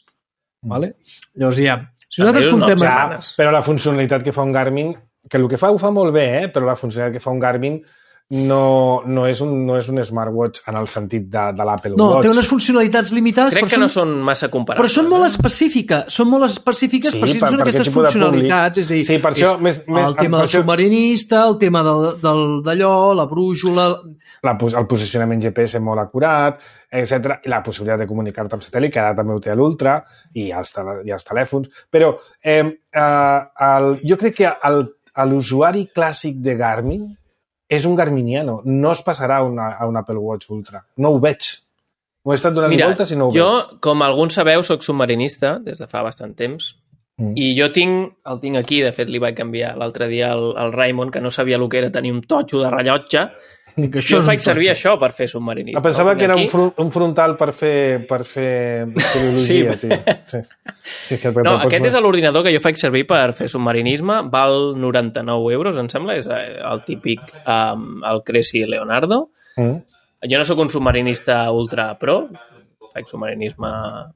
Mm. Vale? Llavors hi ha... Si nosaltres contem... No, ja, però la funcionalitat que fa un Garmin, que el que fa ho fa molt bé, eh? Però la funcionalitat que fa un Garmin no, no, és un, no és un smartwatch en el sentit de, de l'Apple no, Watch. No, té unes funcionalitats limitades. Crec que són, no són massa comparables. Però són molt específiques. Són molt específiques, sí, per si per, són aquestes funcionalitats. És a dir, sí, per això, és més, més, el tema del això... submarinista, el tema del, del, d'allò, la brújula... La, el posicionament G P S molt acurat, etcètera. I la possibilitat de comunicar-te amb satèl·lit, que ara també ho té l'Ultra, i els, i els telèfons. Però eh, eh, el, jo crec que el, l'usuari clàssic de Garmin és un garminiano, no es passarà a, una, a un Apple Watch Ultra. No ho veig. M'ho he estat donant Mira, voltes i no ho jo, veig. com alguns sabeu, soc submarinista des de fa bastant temps mm. i jo tinc, el tinc aquí, de fet li vaig canviar l'altre dia al, al Raymond, que no sabia el que era tenir un totxo de rellotge, que jo faig servir això per fer submarinisme. Ah, pensava no? que era aquí... un, fron un frontal per fer, per fer filologia, sí. tio. Sí. Sí, que no, aquest és l'ordinador que jo faig servir per fer submarinisme, val noranta-nou euros, em sembla, és el típic um, el Cressy Leonardo. Mm. Jo no sóc un submarinista ultra pro, faig submarinisme...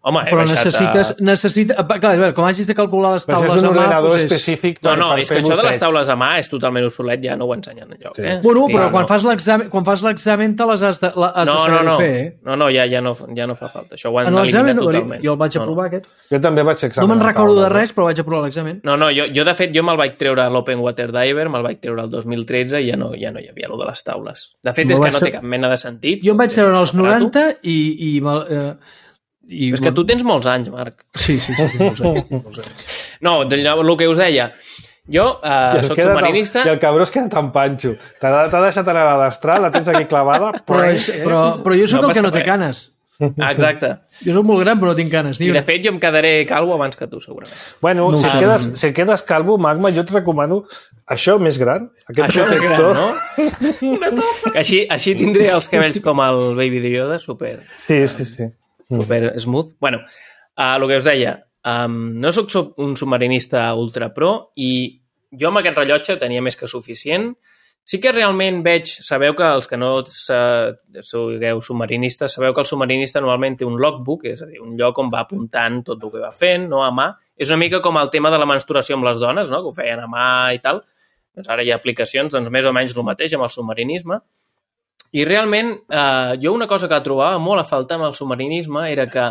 Home, he però baixat necessites... a... Necessita... Clar, a veure, com hagis de calcular les taules a mà... Però és un ordenador doncs és... específic per, no, no, per és que fer això de les busseig. taules a mà és totalment obsolet, ja no ho ensenyen enlloc. Sí. Eh? Bueno, però sí, quan, no. fas l'examen, quan fas l'examen te les has de, la, has no, de saber no, no. fer. Eh? No, no, ja, ja, no, ja no fa falta. Això ho han En l'examen, eliminat totalment. jo el vaig aprovar, no, no. aquest. Jo també vaig examinar. No me'n recordo taula, de res, però vaig aprovar l'examen. No, no, jo, jo de fet, jo me'l vaig treure a l'Open Water Diver, me'l vaig treure el dos mil tretze i ja no, ja no hi havia allò de les taules. De fet, No és que vaig no tre- té cap mena de sentit. Jo em vaig treure en els Aparato. noranta i... i, i eh, i És que tu tens molts anys, Marc. Sí, sí, sí, molts anys, molts anys. No, el que us deia, jo eh, soc submarinista... I el cabró es queda tan panxo. T'ha deixat anar a la destral, la tens aquí clavada... Però, és, però, però jo sóc No el que passa no té res. canes. Ah, exacte. Jo sóc molt gran, però no tinc canes. Ni I de una. fet jo em quedaré calvo abans que tu, segurament. Bueno, No si, sé. quedes, si quedes calvo, Magma, jo et recomano això més gran. Aquest Això és gran, protector. no? Que així, així tindré els cabells com el Baby de Yoda, super, Sí, sí, sí. super smooth. Bueno, uh, el que us deia, um, no sóc sub- un submarinista ultra pro i jo amb aquest rellotge tenia més que suficient. Sí que realment veig, sabeu que els que no sa- sigueu submarinistes, sabeu que el submarinista normalment té un logbook, és a dir, un lloc on va apuntant tot el que va fent, no a mà. És una mica com el tema de la menstruació amb les dones, no? Que ho feien a mà i tal. Doncs ara hi ha aplicacions, doncs més o menys el mateix amb el submarinisme. I realment, eh, jo una cosa que trobava molt a faltar amb el submarinisme era que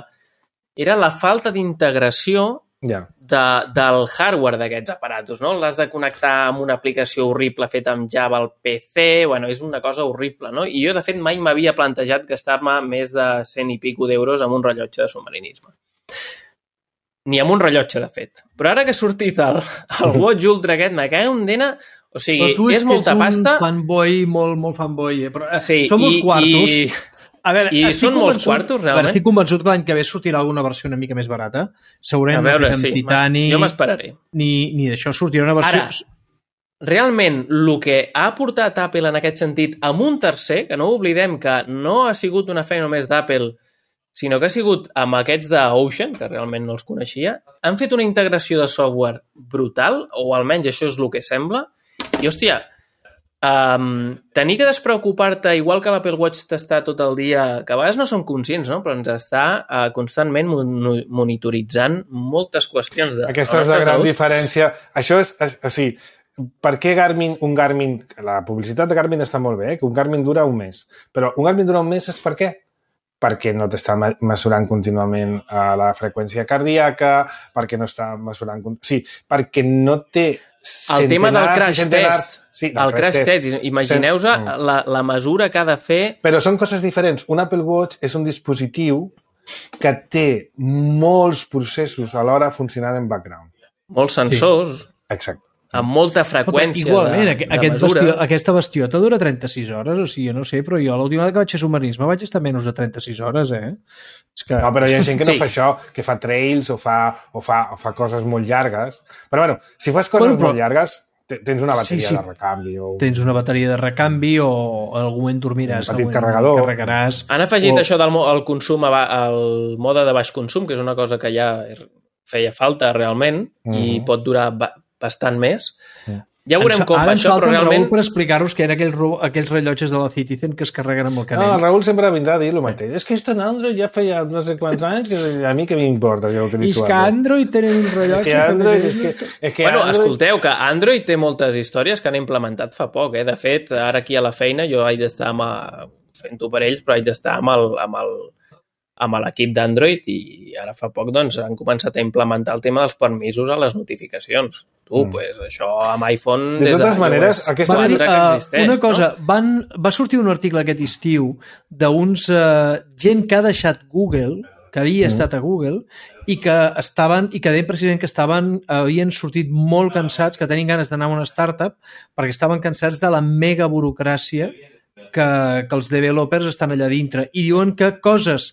era la falta d'integració Ja. de, del hardware d'aquests aparatos, no? L'has de connectar amb una aplicació horrible feta amb Java al P C, bueno, és una cosa horrible, no? I jo, de fet, mai m'havia plantejat gastar-me més de cent i pico d'euros amb un rellotge de submarinisme. Ni amb un rellotge, de fet. Però ara que ha sortit el, el Watch Ultra aquest, me cago en dena. O sigui, Però tu és, és molta que ets pasta. un fanboy, molt, molt fanboy. Eh? Però, eh, Sí, són molts i, quartos. I, A veure, I estic són molts convençut- quartos, a veure, realment? estic convençut que l'any que ve sortirà alguna versió una mica més barata. Segurament a veure, no sí, amb titani, jo m'esperaré. ni, ni d'això sortirà una versió... Ara, realment, el que ha aportat Apple en aquest sentit amb un tercer, que no oblidem que no ha sigut una feina només d'Apple, sinó que ha sigut amb aquests d'Ocean, que realment no els coneixia, han fet una integració de software brutal, o almenys això és el que sembla, i, hòstia, um, tenir que despreocupar-te, igual que l'Apple Watch t'està tot el dia, que a vegades no som conscients, no? Però ens està uh, constantment mon monitoritzant moltes qüestions de Aquesta és la gran diferència. Això és, és, o sigui, per què Garmin, un Garmin, la publicitat de Garmin està molt bé, eh? Que un Garmin dura un mes, però un Garmin dura un mes és per què? Perquè no t'està mesurant contínuament la freqüència cardíaca, perquè no està mesurant... O sigui, perquè no té el tema del crash test. Sí, el crash test. test. Imagineu-vos la, la mesura que ha de fer... Però són coses diferents. Un Apple Watch és un dispositiu que té molts processos alhora funcionant en background. Molts sensors. Sí. Exacte. Amb molta freqüència igualment, de, aquest, de aquest mesura. Bastió, aquesta bastiota dura trenta-sis hores, o sigui, jo no sé, però jo l'última vegada que vaig fer submarinisme vaig estar menys de trenta-sis hores, eh? És que... No, però hi ha gent que no Sí. fa això, que fa trails o fa, o fa, o fa coses molt llargues. Però bueno, si fas coses Bueno, però- molt llargues, te- tens una bateria Sí, sí. de recanvi. O... Tens una bateria de recanvi o en algun moment dormiràs. Un petit en algun moment carregador. Carregaràs. Han afegit O- això del mo- el consum, a ba- el mode de baix consum, que és una cosa que ja feia falta realment Mhm. i pot durar ba bastant més. Sí. Ja veurem Ens- com Ara va ens això, falta però en Raül realment... per explicar-vos que eren aquells, ro- aquells rellotges de la Citizen que es carreguen amb el No, canell. el Raül sempre vindrà a dir el mateix. És que esto en Android ja feia no sé quants anys que a mi què m'importa que I utilitzo és que Android tenen un És rellotge... que Android... És que, és que Bueno, Android... escolteu, que Android té moltes històries que han implementat fa poc, eh? De fet, ara aquí a la feina jo haig d'estar amb... A... Ho sento per ells, però haig d'estar amb el, amb el, amb l'equip d'Android i ara fa poc doncs, han començat a implementar el tema dels permisos a les notificacions. Tu, mm. pues, això amb iPhone... De des totes de maneres, iOS aquesta- quatre que Va dir, uh, existeix, una cosa, no? van, va sortir un article aquest estiu d'uns uh, gent que ha deixat Google, que havia mm. estat a Google, i que estaven, i que deien precisament que estaven, havien sortit molt cansats, que tenien ganes d'anar a una startup, perquè estaven cansats de la mega burocràcia que, que els developers estan allà dintre i diuen que coses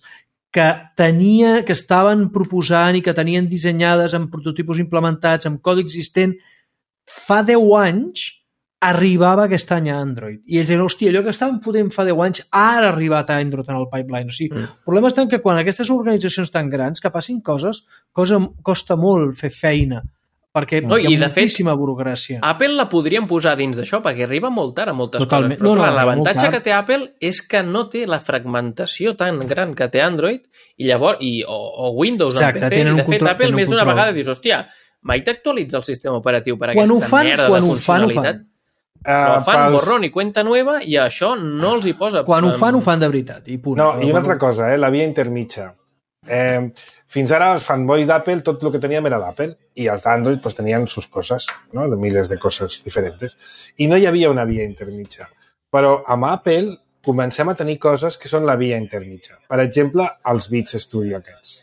que tenia, que estaven proposant i que tenien dissenyades amb prototipus implementats, amb codi existent, fa deu anys arribava aquest any a Android. I ells diuen, hòstia, allò que estàvem fotent fa deu anys ara ha arribat a Android en el pipeline. O sigui, mm. el problema està que quan aquestes organitzacions tan grans que passin coses, cosa, costa molt fer feina, perquè no, hi ha moltíssima burocràcia. Apple la podríem posar dins d'això, perquè arriba molt tard a moltes Totalment. coses. Però no, no, l'avantatge que té Apple és que no té la fragmentació tan gran que té Android i llavors, i, o, o Windows Exacte, en P C. I de fet, control, Apple més d'una vegada dius, hòstia, mai t'actualitza el sistema operatiu per quan aquesta fan, merda quan de funcionalitat? Però Uh, fan pels... borrón i cuenta nueva i això no els hi posa... Quan ho fan, ho fan de veritat. I, punt. No, i una altra cosa, eh? La via intermitja. Eh, fins ara els fanboys d'Apple, tot el que teníem era d'Apple, i els d'Android pues, tenien sus coses, ¿no? De miles de coses diferents. I no hi havia una via intermitja. Però amb Apple comencem a tenir coses que són la via intermitja. Per exemple, els Beats Studio aquests.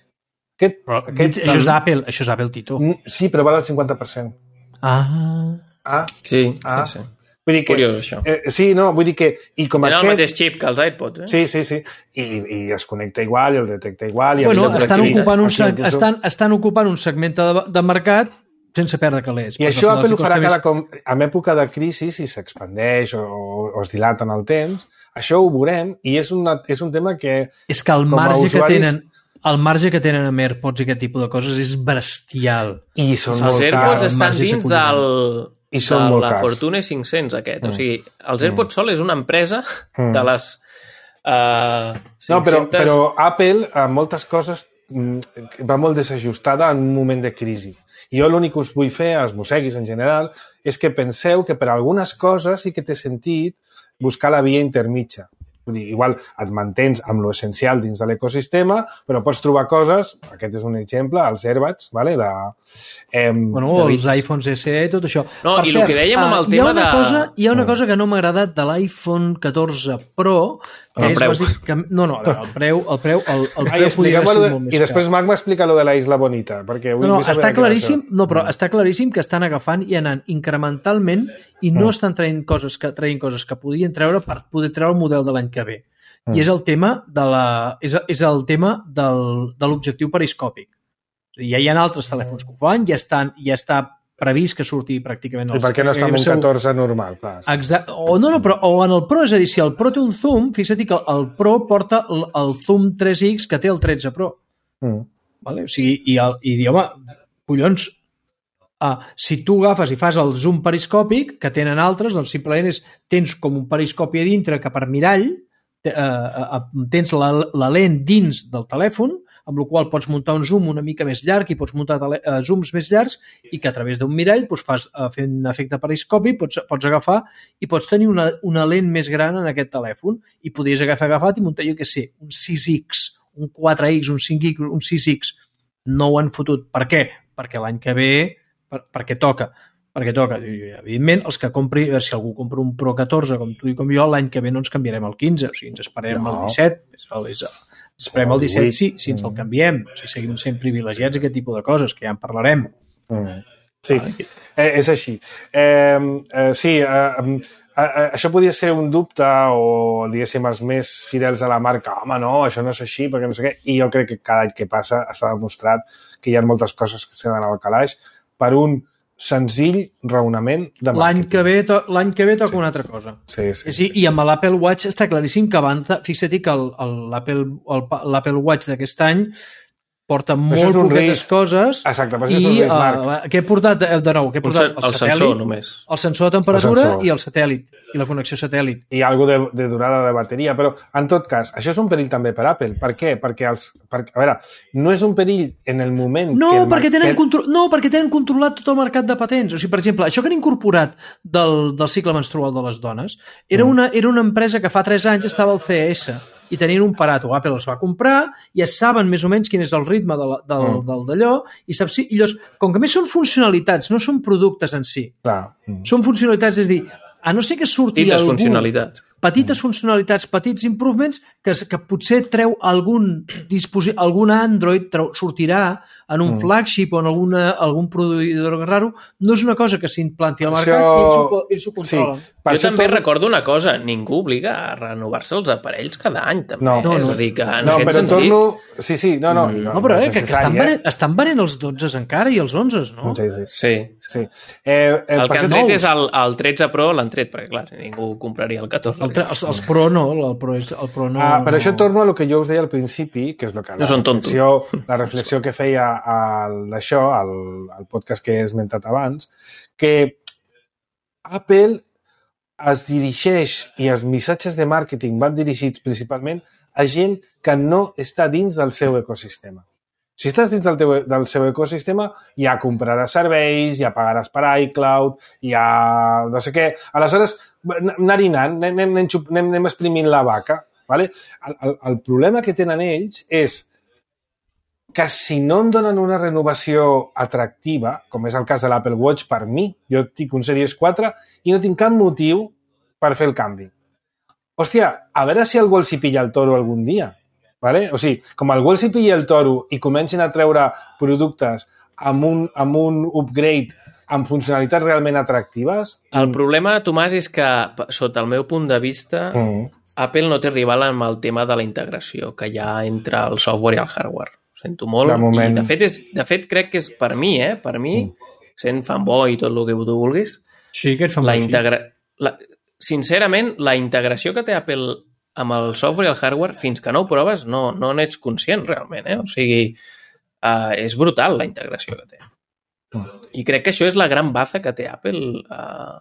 Aquest, però, aquest, això és d'Apple, això és d'Apple, Tito. Sí, però val el cinquanta per cent. Ah... Ah, sí, ah. sí, sí. Vull dir que, curiós, això. Eh, sí, no, vull dir que... I com Tenen aquest... el mateix xip que els iPods, eh? Sí, sí, sí. I, i es connecta igual, i el detecta igual... I bueno, estan ocupant, un seg... estan, estan ocupant un segment de, de mercat sense perdre calés. I això Apple ho farà cada com... En època de crisi, si s'expandeix o, o es dilata en el temps, això ho veurem i és, una, és un tema que... És que el marge usuaris... que tenen... El marge que tenen amb AirPods i aquest tipus de coses és bestial. I són els molt AirPods cars. estan dins del... I són de molt la cars. Fortune cinc-cents aquest. Mm. O sigui, els AirPods mm. Sol és una empresa mm. de les uh, cinc-centes... No, però, però Apple, en moltes coses, va molt desajustada en un moment de crisi. I jo l'únic que us vull fer, als mosseguis en general, és que penseu que per algunes coses sí que té sentit buscar la via intermitja. Vull dir, igual et mantens amb lo essencial dins de l'ecosistema, però pots trobar coses, aquest és un exemple, els AirBuds, vale? de, eh, bueno, de els iPhones S E, tot això. No, per i cert, el que dèiem amb el uh, tema hi de... Cosa, hi ha una cosa que no m'ha agradat de l'iPhone catorze Pro, que el és preu. bàsic... Que, no, no, el preu, el preu, el, el Ai, preu podria haver sigut molt més I després car. Marc m'explica lo de la Isla Bonita, perquè vull, no, no, vull saber està claríssim, això. no, però està claríssim que estan agafant i anant incrementalment i no Mm. estan traient coses que traient coses que podien treure per poder treure el model de l'any que ve. Mm. I és el tema de la és, és el tema del, de l'objectiu periscòpic. Ja hi ha altres telèfons que ho fan, ja estan ja està previst que surti pràcticament... I per què no està en un catorze normal? Clar. Exacte. O, no, no, però, o en el Pro, és a dir, si el Pro té un zoom, fixa't que el Pro porta el, el zoom tres X que té el tretze Pro. Mm. Vale? O sigui, i, el, i dir, home, collons, uh, si tu agafes i fas el zoom periscòpic, que tenen altres, doncs simplement és, tens com un periscopi a dintre que per mirall uh, uh, tens la, la lent dins del telèfon, amb la qual pots muntar un zoom una mica més llarg i pots muntar tele, uh, zooms més llargs i que a través d'un mirall doncs, fas, uh, fent un efecte periscopi pots, pots agafar i pots tenir una, una lent més gran en aquest telèfon i podries agafar agafat i muntar, jo què sé, un sis X, un quatre X, un cinc X, un sis X. No ho han fotut. Per què? Perquè l'any que ve, per, perquè toca. Perquè toca. Evidentment, els que compri, si algú compra un Pro catorze, com tu i com jo, l'any que ve no ens canviarem al quinze, o sigui, ens esperarem no. al disset, és, és, esperem el disset si, si ens el canviem, si seguim sent privilegiats aquest tipus de coses, que ja en parlarem. Mm. Sí, eh, és així. Eh, eh, sí, eh, eh, això podria ser un dubte o, diguéssim, els més fidels a la marca. Home, no, això no és així, perquè no sé què. I jo crec que cada any que passa està demostrat que hi ha moltes coses que s'han d'anar al calaix per un senzill raonament de màrqueting. L'any que ve, to, l'any que ve toca sí. una altra cosa. Sí, sí. sí. I amb l'Apple Watch està claríssim que abans, fixa't que l'Apple Watch d'aquest any porta molt poquetes coses. Exacte, però això i, és un risc, Marc. Uh, què he portat, de nou, què he portat? El, el sensor, només. El sensor de temperatura sensor. I el satèl·lit, i la connexió satèl·lit. I algo de, de durada de bateria, però en tot cas, això és un perill també per Apple. Per què? Perquè els... Per, a veure, no és un perill en el moment... No, que el perquè tenen que... contro... no, perquè tenen controlat tot el mercat de patents. O sigui, per exemple, això que han incorporat del, del cicle menstrual de les dones era, mm. una, era una empresa que fa tres anys estava al C E S i tenien un parato. Apple els va comprar, ja saben més o menys quin és el ritme de la, del, mm. del d'allò, i saps si, i llavors, com que més són funcionalitats, no són productes en si. Clar. Mm. Són funcionalitats, és a dir, a no ser que surti Dites algú... funcionalitats. petites funcionalitats, petits improvements, que, que potser treu algun dispositiu, algun Android treu, sortirà en un mm. flagship o en alguna, algun produïdor raro. No és una cosa que s'implanti al mercat Això... i ells ho, ells ho controlen. Sí. Jo també tot... recordo una cosa, ningú obliga a renovar-se els aparells cada any, també. No, no, no. És a dir, que en no aquest però sentit... torno... Sí, sí, no, no. No, no però eh, que, que estan, venent, estan venent els dotze encara i els onze, no? Sí, sí. sí. sí. Eh, el, el que han tret és el, el tretze Pro, l'han tret, perquè clar, ningú compraria el catorze. El tre... els, els Pro no, el Pro, és, el Pro no... Ah, per no... això torno a lo que jo us deia al principi, que és lo que la, no són reflexió, la reflexió que feia al, això, al, al podcast que he esmentat abans, que Apple es dirigeix i els missatges de màrqueting van dirigits principalment a gent que no està dins del seu ecosistema. Si estàs dins del, teu, del seu ecosistema, ja compraràs serveis, ja pagaràs per iCloud, ja no sé què. Aleshores, anar-hi anant, anem, anem, anem, anem exprimint la vaca. Vale? El, el, el problema que tenen ells és que si no em donen una renovació atractiva, com és el cas de l'Apple Watch per mi, jo tinc un Series quatre i no tinc cap motiu per fer el canvi. Hòstia, a veure si algú els hi pilla el toro algun dia. Vale? O sigui, com algú els hi pilla el toro i comencin a treure productes amb un, amb un upgrade amb funcionalitats realment atractives... El problema, Tomàs, és que, sota el meu punt de vista, mm. Apple no té rival amb el tema de la integració que hi ha entre el software i el hardware. Ho sento molt. De moment... I de fet, és, de fet, crec que és per mi, eh? Per mi, mm. sent fanboy i tot el que tu vulguis, sí, que ets fanboy, la integra... la... sincerament, la integració que té Apple amb el software i el hardware, fins que no ho proves, no, no n'ets conscient realment, eh? O sigui, uh, és brutal la integració que té. I crec que això és la gran baza que té Apple uh,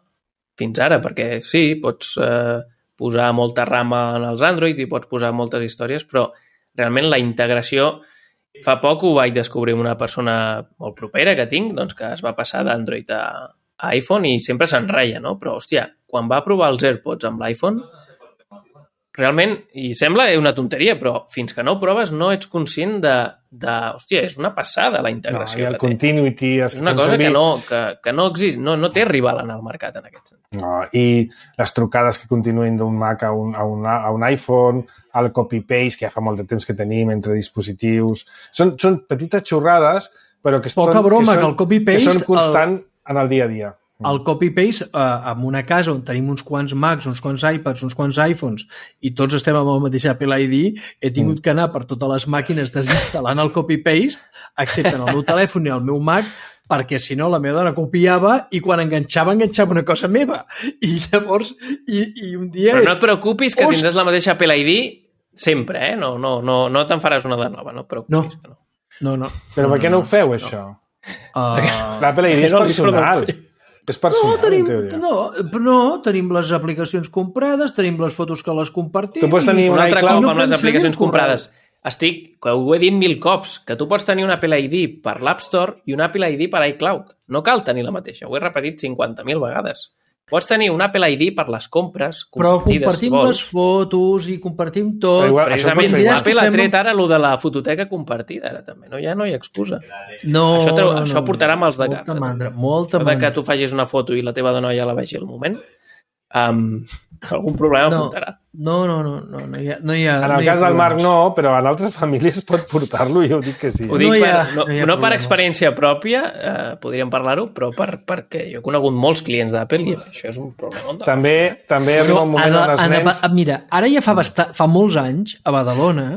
fins ara, perquè sí, pots uh, posar molta rama en els Android i pots posar moltes històries, però realment la integració... Fa poc ho vaig descobrir una persona molt propera que tinc, doncs que es va passar d'Android a, a iPhone i sempre se'n reia, no? Però, hòstia, quan va provar els AirPods amb l'iPhone, realment, i sembla una tonteria, però fins que no ho proves no ets conscient de, de hòstia, és una passada la integració. No, i el continuity... És una cosa servir... que, no, que, que no exist, no, no té rival en el mercat en aquest sentit. No, i les trucades que continuïn d'un Mac a un, a un, a un iPhone, el copy-paste, que ja fa molt de temps que tenim entre dispositius... Són, són petites xorrades, però que, Poca eston, broma, que, són, que, el copy-paste, que són constant el... en el dia a dia. El copy-paste eh, en una casa on tenim uns quants Macs, uns quants iPads, uns quants iPhones i tots estem amb el mateix Apple I D, he tingut mm. que anar per totes les màquines desinstal·lant el copy-paste, excepte en el meu telèfon i el meu Mac, perquè si no la meva dona copiava i quan enganxava, enganxava una cosa meva. I llavors, i, i un dia... Però no et preocupis que Ost... tindràs la mateixa Apple I D sempre, eh? No, no, no, no te'n faràs una de nova, no et preocupis. No, que no. no, no. Però per què no ho feu, no. això? Uh... L'Apple I D és no personal. És personal, no, tenim, en teoria. No, no, tenim les aplicacions comprades, tenim les fotos que les compartim... Tu pots tenir un altre cop no amb les aplicacions comprades. Estic, que ho he dit mil cops, que tu pots tenir un Apple I D per l'App Store i un Apple I D per iCloud. No cal tenir la mateixa, ho he repetit cinquanta mil vegades. Pots tenir un Apple I D per les compres però compartim si les fotos i compartim tot. Però igual, precisament, Apple ha tret ara allò de la fototeca compartida, ara també, no? Ja no hi ha excusa. No, això, treu, no, això portarà no, mals de molta cap. Mandra, molta mandra. Que mandra. tu facis una foto i la teva dona ja la vegi al moment, um, algun problema no, portarà. No, no, no, no, no hi ha... No hi ha en el no cas del Marc problemes. no, però en altres famílies pot portar-lo i jo dic que sí. Ho dic no, per, ha, no, no, no per experiència pròpia, eh, podríem parlar-ho, però per, perquè jo he conegut molts clients d'Apple i això és un problema. També, també arriba un moment on els a, nens... a, mira, ara ja fa, basta, fa molts anys, a Badalona,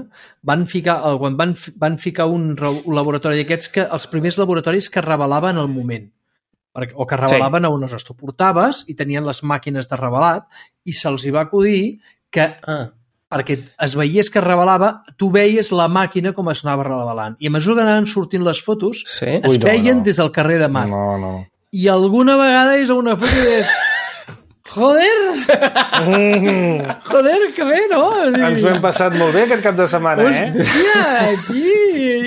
van ficar, quan van, van ficar un, un laboratori d'aquests, que els primers laboratoris que revelaven el moment. O que revelaven sí. a on es tu portaves i tenien les màquines de revelat i se'ls hi va acudir que ah. perquè es veiés que revelava, tu veies la màquina com es anava revelant. I a mesura que anaven sortint les fotos, sí? es Ui, no, veien no. des del carrer de Mar. No, no. I alguna vegada és una foto i és... Joder! Joder, que bé, no? Ens ho hem passat molt bé aquest cap de setmana, eh? Hòstia, aquí!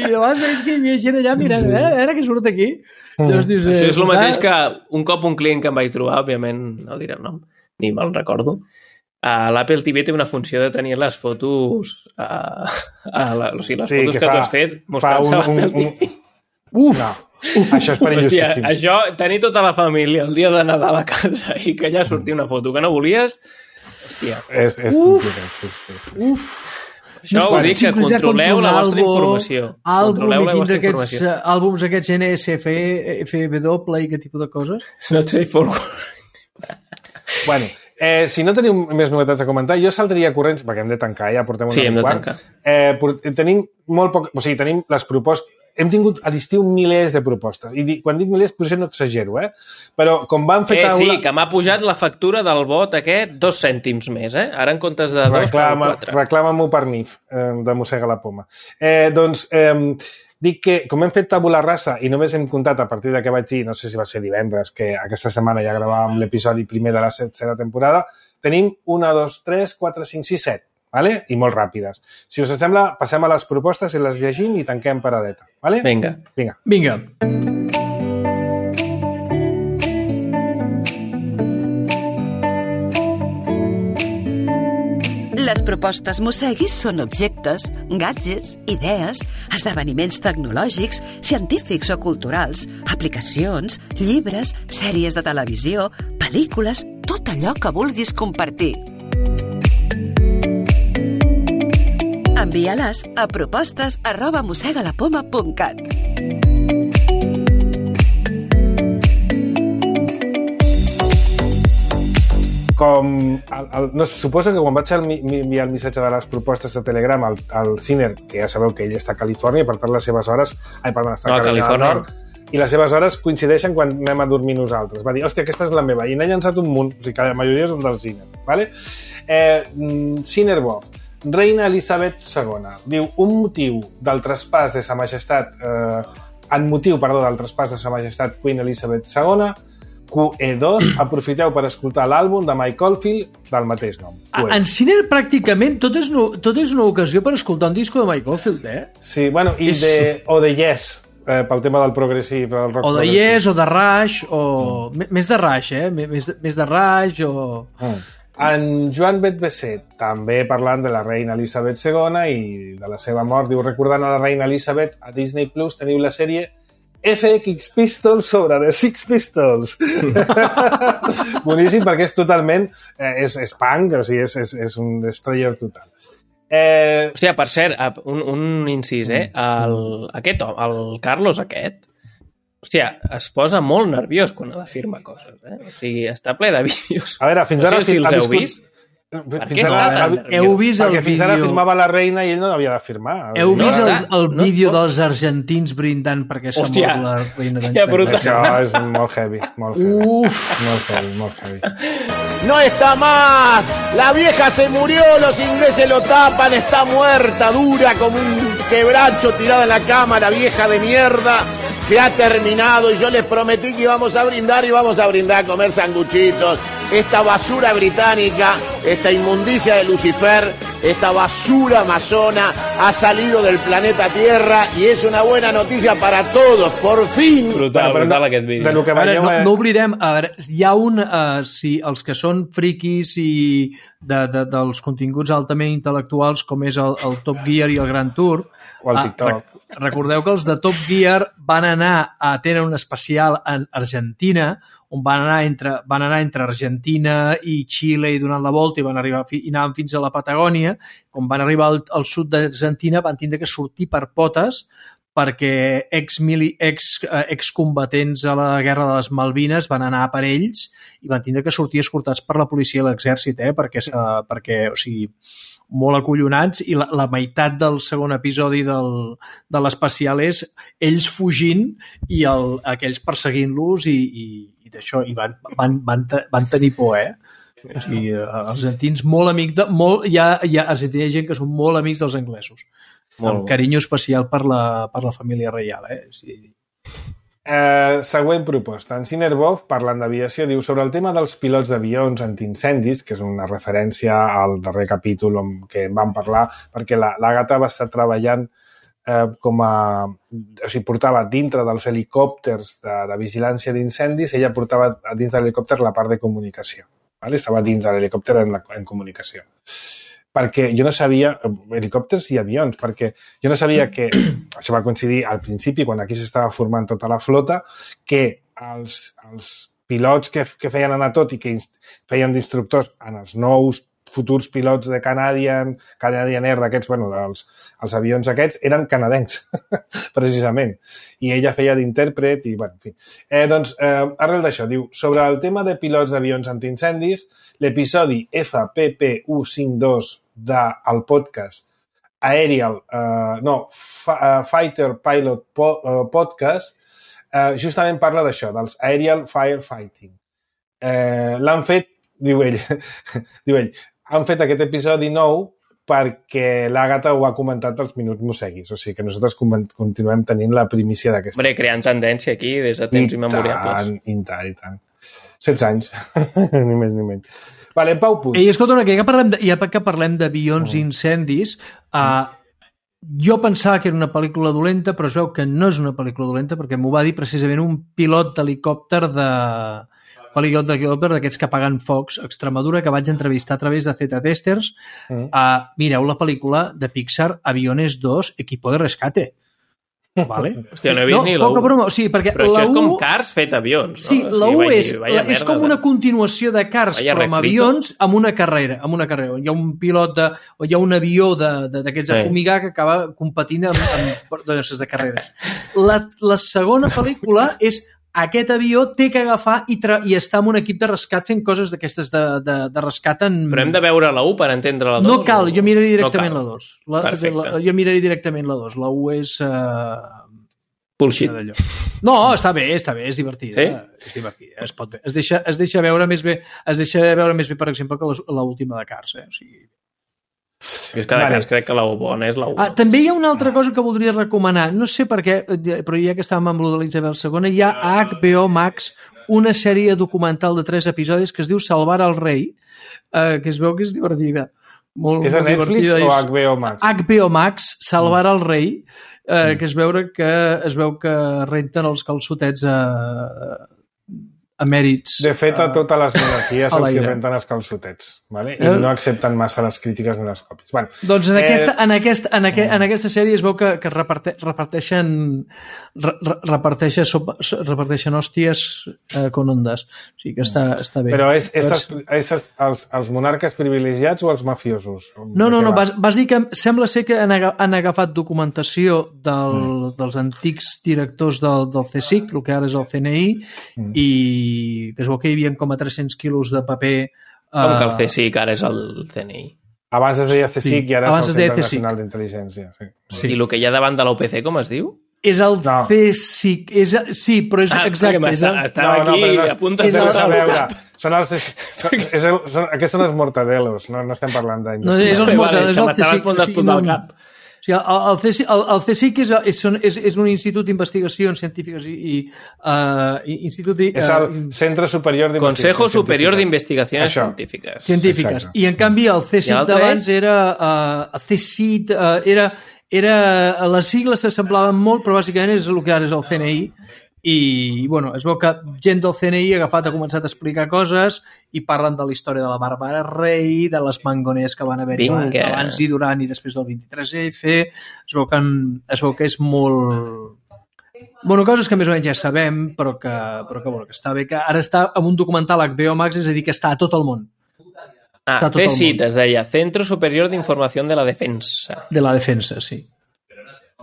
I llavors veus que hi havia gent allà mirant, sí. a, veure, a veure què surt aquí. Llavors dius, això és el mateix que un cop un client que em vaig trobar, òbviament no diré el nom, ni me'l recordo, uh, l'Apple T V té una funció de tenir les fotos, uh, uh, la, o sigui, les sí, fotos que, que fa, tu has fet, mostrar-se a l'Apple T V. Uf! No. Això és perillosíssim. Això, tenir tota la família el dia de Nadal a casa i que allà surti una foto que no volies, Hòstia. És, és complicat, sí, sí, sí. Uf! Això ho dic, que controleu la vostra informació. Controleu la vostra informació. Àlbums aquests N S F W i aquest tipus de coses? Not safe for work. Bueno, eh, si no teniu més novetats a comentar, jo saldria corrents, perquè hem de tancar, ja portem una sí, hem de quart. tancar. Eh, tenim molt poc... O sigui, tenim les propostes... Hem tingut a l'estiu milers de propostes. I di, quan dic milers, potser no exagero, eh? Però com van fer... Eh, taula... sí, que m'ha pujat la factura del bot aquest dos cèntims més, eh? Ara en comptes de dos, Reclama, quatre. Reclama-m'ho per N I F, eh, de Mossega la Poma. Eh, doncs, eh, dic que, com hem fet tabula rasa i només hem comptat a partir de què vaig dir, no sé si va ser divendres, que aquesta setmana ja gravàvem l'episodi primer de la setena temporada, tenim una, dos, tres, quatre, cinc, sis, set. Vale? I molt ràpides. Si us sembla, passem a les propostes i les llegim i tanquem paradeta. Vale? Vinga. Vinga. Vinga. Les propostes Mosseguis són objectes, gadgets, idees, esdeveniments tecnològics, científics o culturals, aplicacions, llibres, sèries de televisió, pel·lícules, tot allò que vulguis compartir. Envia-les a propostes arroba mossegalapoma punt cat. Com... El, el, no, suposo que quan vaig enviar el missatge de les propostes a Telegram al, al Ciner, que ja sabeu que ell està a Califòrnia, per tant les seves hores... Ai, perdó, està no, a Califòrnia. Nord, i les seves hores coincideixen quan anem a dormir nosaltres. Va dir, hòstia, aquesta és la meva. I n'ha llançat un munt, o sigui que la majoria són del Ciner. Vale? Eh, Cinerbov. Reina Elisabet segona. Diu, un motiu del traspàs de sa majestat, eh, en motiu, perdó, del traspàs de sa majestat Queen Elizabeth segona, Q E dos, aprofiteu per escoltar l'àlbum de Mike Oldfield del mateix nom. A, en Ciner, pràcticament, tot és, no, tot és una ocasió per escoltar un disco de Mike Oldfield, eh? Sí, bueno, i és... de, o de Yes, eh, pel tema del progressiu, del rock o de progressiu. Yes, o de Rush, o... Mm. Més de Rush, eh? Més, més de Rush, o... Mm. En Joan Betbesset, també parlant de la reina Elisabet segona i de la seva mort, diu, recordant a la reina Elisabet, a Disney Plus teniu la sèrie F X Pistols sobre The Six Pistols. Boníssim, perquè és totalment... Eh, és, és punk, o sigui, és, és, és un destroyer total. Eh... Hòstia, per cert, un, un incís, eh? El, aquest home, el Carlos aquest, hòstia, es posa molt nerviós quan ha de firmar coses, eh? O sigui, està ple de vídeos. A veure, fins ara... No sé si els heu vist. Per què està tan nerviós? Heu vist el Perquè fins vídeo... ara firmava la reina i ell no havia de firmar. Heu no, vist està... el, el no, vídeo no. dels argentins brindant perquè s'ha Hòstia, mort la reina hòstia, brutal. Això és molt heavy, molt heavy. Uf. Molt heavy, molt heavy. No está más, la vieja se murió, los ingleses lo tapan, está muerta, dura como un quebracho tirada en la cama, la vieja de mierda. Se ha terminado y yo les prometí que íbamos a brindar y vamos a brindar a comer sanguchitos. Esta basura británica, esta inmundicia de Lucifer, esta basura amazona ha salido del planeta Tierra y es una buena noticia para todos, por fin. Brutal, bueno, brutal no, aquest vídeo. De lo que A veure, veieu, no, eh... no oblidem, a veure, hi ha un, uh, si els que són friquis i de, de, dels continguts altament intel·lectuals com és el, el Top Gear i el Grand Tour, o el TikTok. Uh, recordeu que els de Top Gear van anar a tenen un especial a Argentina, on van anar entre, van anar entre Argentina i Xile i donant la volta i van arribar i anaven fins a la Patagònia. Quan van arribar al, al sud d'Argentina van tindre que sortir per potes perquè ex-mili, ex, eh, excombatents a la Guerra de les Malvines van anar per ells i van tindre que sortir escortats per la policia i l'exèrcit, eh? perquè, eh, perquè, o sigui, molt acollonats, i la, la meitat del segon episodi del, de l'especial és ells fugint i el, aquells perseguint-los i, i, i d'això, i van, van, van, van tenir por, eh? O sigui, els argentins molt amics de... Molt, hi, ha, hi, ha, hi ha gent que són molt amics dels anglesos. Molt amb carinyo especial per la, per la família reial, eh? Sí. Eh, següent proposta. En Cinerbov, parlant d'aviació, diu sobre el tema dels pilots d'avions antiincendis, que és una referència al darrer capítol on què en vam parlar, perquè l'Àgata va estar treballant eh, com a... O sigui, portava dintre dels helicòpters de, de vigilància d'incendis, ella portava dins de l'helicòpter la part de comunicació. Vale? Estava dins de l'helicòpter en, la, en comunicació. Perquè jo no sabia, helicòpters i avions, perquè jo no sabia que, això va coincidir al principi, quan aquí s'estava formant tota la flota, que els, els pilots que, que feien anar tot i que feien d'instructors en els nous futurs pilots de Canadian, Canadian Air, aquests, bueno, els, els avions aquests, eren canadencs, precisament. I ella feia d'intèrpret i, bueno, en fi. Eh, doncs, eh, arrel d'això, diu, sobre el tema de pilots d'avions antiincendis, l'episodi F P P cent cinquanta dos del podcast Aerial, uh, no, F uh, Fighter Pilot po uh, Podcast, uh, justament parla d'això, dels Aerial Firefighting. Uh, L'han fet, diu ell, diu ell, han fet aquest episodi nou perquè l'Àgata ho ha comentat als Minuts Mosseguis, o sigui que nosaltres continuem tenint la primícia d'aquesta. Hombre, creant tendència aquí des de temps immemoriables. I tant, i tant. setze anys, ni més ni menys. Vale, Pau Puig. I escolta, ja que parlem, ja que parlem d'avions i incendis, uh, jo pensava que era una pel·lícula dolenta, però es veu que no és una pel·lícula dolenta perquè m'ho va dir precisament un pilot d'helicòpter de... pilot d'helicòpter d'aquests que apaguen focs a Extremadura, que vaig entrevistar a través de Z-Testers. Mm. Uh, mireu la pel·lícula de Pixar Aviones dos, Equipo de Rescate. Vale? Hòstia, no he vist no, ni la u. Broma, sí, perquè però la això és u... com Cars fet avions. No? Sí, la u és, dir, és com una continuació de Cars, vaya però amb refrito. avions, amb una carrera. Amb una carrera. Hi ha un pilot, de, o hi ha un avió d'aquests de, de, de fumigar que acaba competint amb, amb doncs, de carreres. La, la segona pel·lícula és aquest avió té que agafar i, tra i estar en un equip de rescat fent coses d'aquestes de, de, de rescat en... Però hem de veure la u per entendre la dos? No cal, jo miraria directament no la dos. La, Perfecte. La, jo miraria directament la dos. La u és... Uh... Bullshit. No, està bé, està bé, és divertida. Sí? És divertida, es pot bé. Es deixa, es deixa veure més bé, es deixa veure més bé, per exemple, que l'última de Cars, eh? O sigui... Jo és que de vale. Cas crec que la u bona és la u. Ah, també hi ha una altra cosa que voldria recomanar. No sé per què, però ja que estàvem amb lo de l'Isabel segona, hi ha a H B O Max una sèrie documental de tres episodis que es diu Salvar al rei, eh, que es veu que és divertida. Molt, és a molt Netflix o H B O Max? H B O Max, Salvar al rei, eh, mm. que es, veure que es veu que renten els calçotets a... emèrits. De fet, a totes les monarquies se'ls renten els calçotets, vale? I eh? no accepten massa les crítiques ni les còpies. Bueno, doncs en, eh... aquesta, en, aquest, en, aqu en aquesta sèrie es veu que, que reparte reparteixen re reparteixen, sopa, reparteixen hòsties eh, con ondes. O sigui que està, està bé. Però és, és, els, és els, els monarques privilegiats o els mafiosos? No, no, no. Bàsicament, sembla ser que han, han agafat documentació del, mm. dels antics directors del, del C S I C, el que ara és el C N I, mm. i que es veu que hi havia com a tres-cents quilos de paper. Com uh... que el C S I C ara és el C N I? Abans es deia C S I C sí, i ara és el Centre Nacional d'Intel·ligència. Sí. Sí. I el que hi ha davant de l'O P C, com es diu? És el no. C S I C. És, sí, però és ah, exacte. És el... Estava no, aquí no, a punt de veure. Són els, són, és el, són, aquests són els mortadelos, no, no estem parlant d'investigació. No, és els mortadelos, vale, és el C S I C. Que m'estava a punt d'explotar el cap. O sigui, el, el, C S I C, el, el C S I C és, és, és, és un institut d'investigacions científiques i... i uh, institut i, uh, és el Centre Superior d'Investigacions Consejo Superior d'Investigacions Científiques. Científiques. Exacte. I en canvi el C S I C d'abans era... Uh, C S I C uh, era... era les sigles s'assemblaven molt, però bàsicament és el que ara és el C N I. I, bueno, es veu que gent del C N I ha agafat, ha començat a explicar coses i parlen de la història de la Bàrbara Rey, de les mangoners que van haver-hi abans i durant i després del vint-i-tres F. Es veu que, en, es veu que és molt... Bueno, coses que més o menys ja sabem, però que, però que, bueno, que està bé, que ara està en un documental H B O Max, és a dir, que està a tot el món. Ah, C S I C, es deia Centro Superior d'Informació de la Defensa. De la Defensa, sí.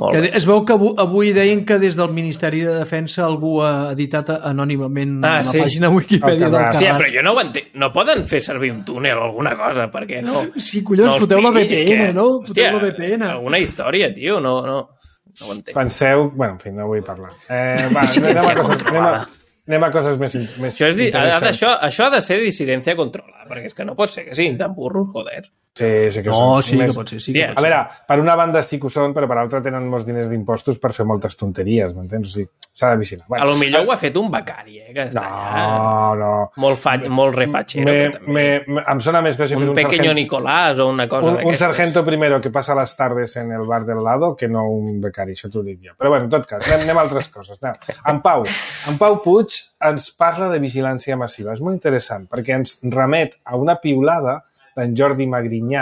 Molt que bé. Es veu que avui, avui deien que des del Ministeri de Defensa algú ha editat anònimament ah, la sí. pàgina Wikipedia del Carràs. Hòstia, però jo no ho entenc. No poden fer servir un túnel o alguna cosa, perquè no... Sí, collons, no foteu la V P N, que... no? Foteu Hòstia, la V P N. Alguna història, tio, no, no, no ho entenc. Penseu... Bueno, en fi, no vull parlar. Eh, va, anem, a coses, anem, a, anem a coses més, més això, és, això, això ha de ser dissidència controlada, perquè és que no pot ser que siguin tan burros, joder. Sí, sí que no, són. sí més... que pot ser. Sí que pot a veure, per una banda sí que ho són, però per l'altra tenen molts diners d'impostos per fer moltes tonteries, m'entens? O sigui, s'ha de vigilar. Bueno, a lo millor ho ha fet un becari, eh? Que està no, allà. no. Molt, fa... molt refatxero. Me, me, me, em sona més que hagi un, un pequeño sargento, Nicolás o una cosa un, d'aquestes. Un sargento primero que passa les tardes en el bar del lado que no un becari, això t'ho dic jo. Però bueno, en tot cas, anem, anem a altres coses. Anem. En Pau, en Pau Puig ens parla de vigilància massiva. És molt interessant perquè ens remet a una piulada d'en Jordi Magrinyà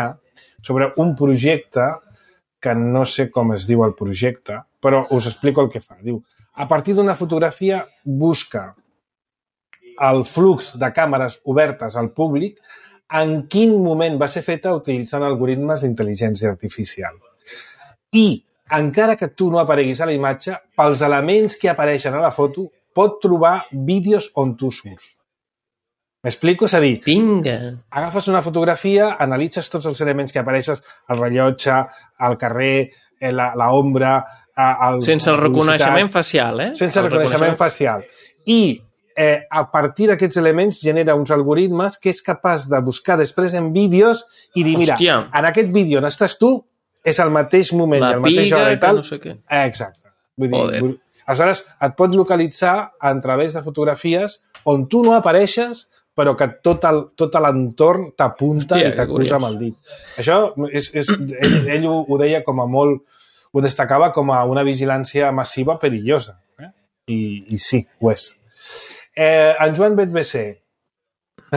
sobre un projecte que no sé com es diu el projecte, però us explico el que fa. Diu, a partir d'una fotografia busca el flux de càmeres obertes al públic en quin moment va ser feta utilitzant algoritmes d'intel·ligència artificial. I, encara que tu no apareguis a la imatge, pels elements que apareixen a la foto, pot trobar vídeos on tu surts. M'explico? És a dir, Vinga. agafes una fotografia, analitzes tots els elements que apareixes, el rellotge, el carrer, la, la ombra... El, sense el reconeixement facial, eh? Sense el reconeixement facial. I eh, a partir d'aquests elements genera uns algoritmes que és capaç de buscar després en vídeos i dir, mira, Hòstia. en aquest vídeo on estàs tu és el mateix moment La i el mateix piga, hora i tal. que no sé què. Exacte. Vull dir, Joder. vull... Aleshores, et pots localitzar a través de fotografies on tu no apareixes, però que tot el, tot l'entorn t'apunta Hòstia, i t'acusa que amb el dit. Això, és, és, ell, ell ho, ho deia com a molt... Ho destacava com a una vigilància massiva perillosa. Eh? I, I sí, ho és. Eh, en Joan Bet B C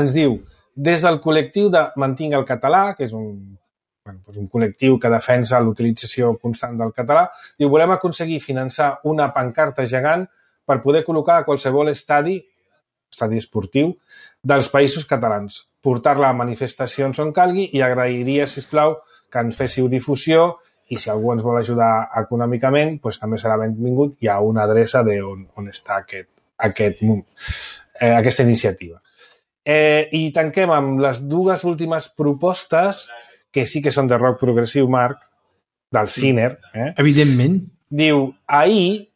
ens diu, des del col·lectiu de Mantinc el Català, que és un, bueno, doncs un col·lectiu que defensa l'utilització constant del català, diu, volem aconseguir finançar una pancarta gegant per poder col·locar a qualsevol estadi, estadi esportiu, dels països catalans, portar-la a manifestacions on calgui i agrairia, sisplau, que en féssiu difusió i si algú ens vol ajudar econòmicament, doncs també serà benvingut. Hi ha una adreça d'on on està aquest, aquest, eh, aquesta iniciativa. Eh, I tanquem amb les dues últimes propostes, que sí que són de rock progressiu, Marc, del Ciner. Eh? Evidentment. Diu, ahir,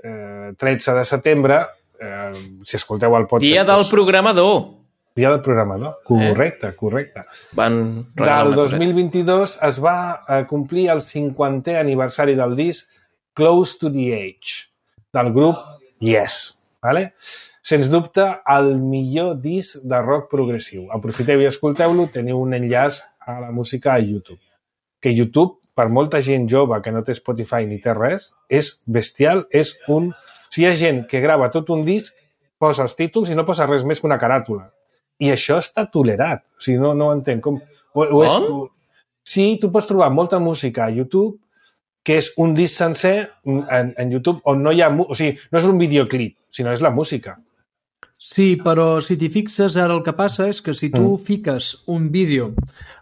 eh, tretze de setembre, eh, si escolteu el podcast... Dia del programador. Dia del programador, correcte, eh? correcte. Van Del dos mil vint-i-dos es va eh, complir el cinquantè aniversari del disc Close to the Edge, del grup Yes. Vale? Sens dubte, el millor disc de rock progressiu. Aprofiteu i escolteu-lo, teniu un enllaç a la música a YouTube. Que YouTube, per molta gent jove que no té Spotify ni té res, és bestial, és un... O sigui, hi ha gent que grava tot un disc, posa els títols i no posa res més que una caràtula. I això està tolerat. O sigui, no, no ho entenc. Com? O, o és, o... Sí, tu pots trobar molta música a YouTube que és un disc sencer en, en YouTube on no hi ha... O sigui, no és un videoclip, sinó és la música. Sí, però si t'hi fixes, ara el que passa és que si tu mm. fiques un vídeo,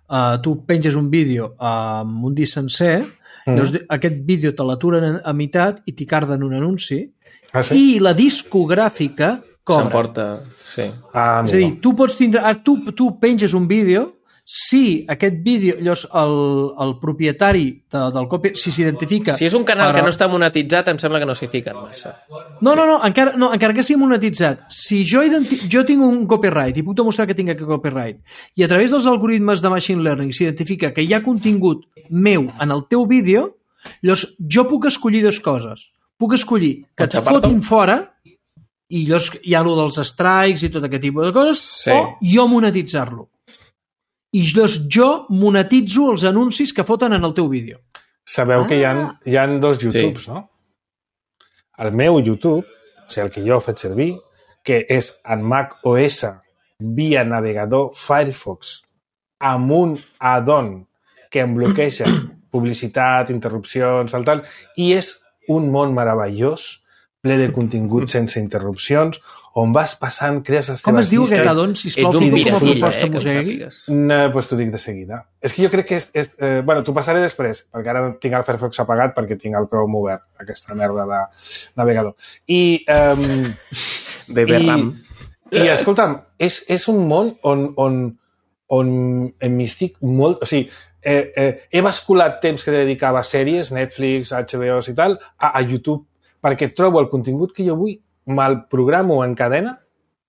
uh, tu penges un vídeo amb un disc sencer, mm. llavors aquest vídeo te l'aturen a meitat i t'hi carden un anunci, ah, sí? I la discogràfica cobra. S'emporta, sí. Ah, és a dir, tu pots tindre... Ah, tu, tu penges un vídeo, si aquest vídeo, llavors el, el propietari de, del copy, si s'identifica... Si és un canal per... que no està monetitzat, em sembla que no s'hi fiquen massa. No, no, no, encara, no, encara que sigui monetitzat. Si jo, identi... jo tinc un copyright i puc demostrar que tinc aquest copyright i a través dels algoritmes de machine learning s'identifica que hi ha contingut meu en el teu vídeo, llavors jo puc escollir dues coses. Puc escollir que et fotin fora i llavors hi ha allò dels strikes i tot aquest tipus de coses, sí. O jo monetitzar-lo. I llavors jo monetitzo els anuncis que foten en el teu vídeo. Sabeu ah. que hi ha, hi ha dos YouTubes, sí. No? El meu YouTube, o sigui, el que jo he fet servir, que és en Mac O S via navegador Firefox amb un add-on que em bloqueja publicitat, interrupcions, tal, tal, i és un món meravellós, ple de contingut sense interrupcions, on vas passant, crees les teves llistes... Com es diu aquest addon, sisplau? Ets un mirafilla, eh? Mosegui? No, doncs t'ho dic de seguida. És que jo crec que és... és eh, bueno, t'ho passaré després, perquè ara tinc el Firefox apagat perquè tinc el Chrome obert, aquesta merda de navegador. I... Um, Bebe RAM. I, escolta'm, és, és un món on, on, on em estic molt... O sigui, eh, eh, he basculat temps que dedicava a sèries, Netflix, H B O i tal, a, a YouTube, perquè trobo el contingut que jo vull, me'l programo en cadena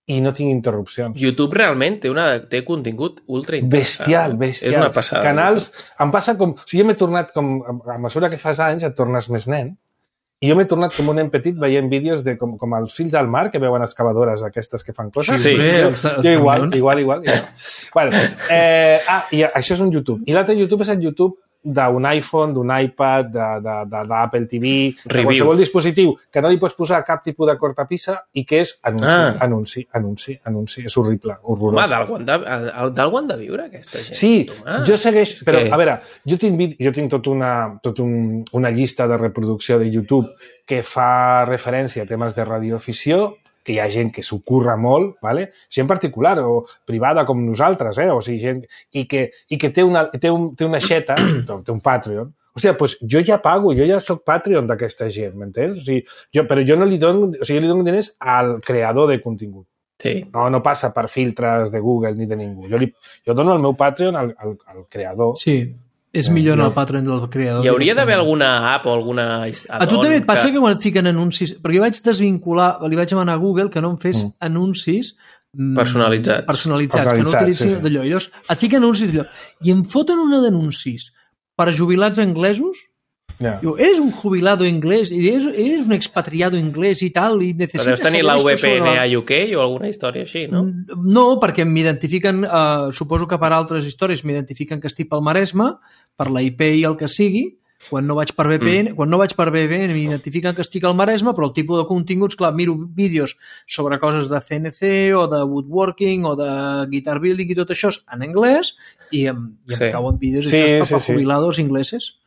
i no tinc interrupcions. YouTube realment té, una, té contingut ultra interessant. Bestial, bestial. És una passada. Canals, em passa com... O sigui, jo m'he tornat com... A mesura que fas anys et tornes més nen. I jo m'he tornat com un nen petit veient vídeos de com, com els fills del mar que veuen excavadores aquestes que fan coses. Sí, sí. Jo, jo igual, igual, igual. igual. Bueno, eh, ah, i això és un YouTube. I l'altre YouTube és el YouTube d'un iPhone, d'un iPad, d'Apple T V, de qualsevol dispositiu que no li pots posar cap tipus de cortapissa i que és anunci, ah. anunci, anunci, anunci. És horrible, horrorós. Home, d'algú han, de, d'algú han de viure, aquesta gent. Sí, ah. jo segueix... Però, a veure, jo tinc, jo tinc tot una, tot un, una llista de reproducció de YouTube que fa referència a temes de radioafició que hi ha gent que s'ho curra molt, ¿vale? Gent particular o privada com nosaltres, eh? O sigui, gent... I que, i que té, una, té, un, té una xeta, té un Patreon. Hòstia, doncs jo ja pago, jo ja soc Patreon d'aquesta gent, m'entens? O sigui, jo, però jo no li dono, o sigui, li dono diners al creador de contingut. Sí. No, no passa per filtres de Google ni de ningú. Jo, li, jo dono el meu Patreon al, al, al creador. Sí, és millor no. El Patreon del creador. Hi hauria d'haver alguna app o alguna... A tu també et passa que... que quan et fiquen anuncis... Perquè jo vaig desvincular, li vaig demanar a Google que no em fes mm. anuncis personalitzats, personalitzats, que no utilitzin sí, sí. d'allò. I llavors et fiquen anuncis d'allò. I em foten una d'anuncis per a jubilats anglesos. Yeah. Diu, eres un jubilado inglés, eres, eres un expatriado inglés i tal, i necessites... Però deus tenir la V P N a U K o alguna història així, no? No, perquè m'identifiquen, eh, suposo que per altres històries m'identifiquen que estic pel Maresme, per la I P i el que sigui, quan no vaig per V P N, mm. quan no vaig per V P N m'identifiquen que estic al Maresme, però el tipus de continguts, clar, miro vídeos sobre coses de C N C o de woodworking o de guitar building i tot això en anglès, i em, i em sí. cauen vídeos sí, això és per sí, jubilados sí. ingleses.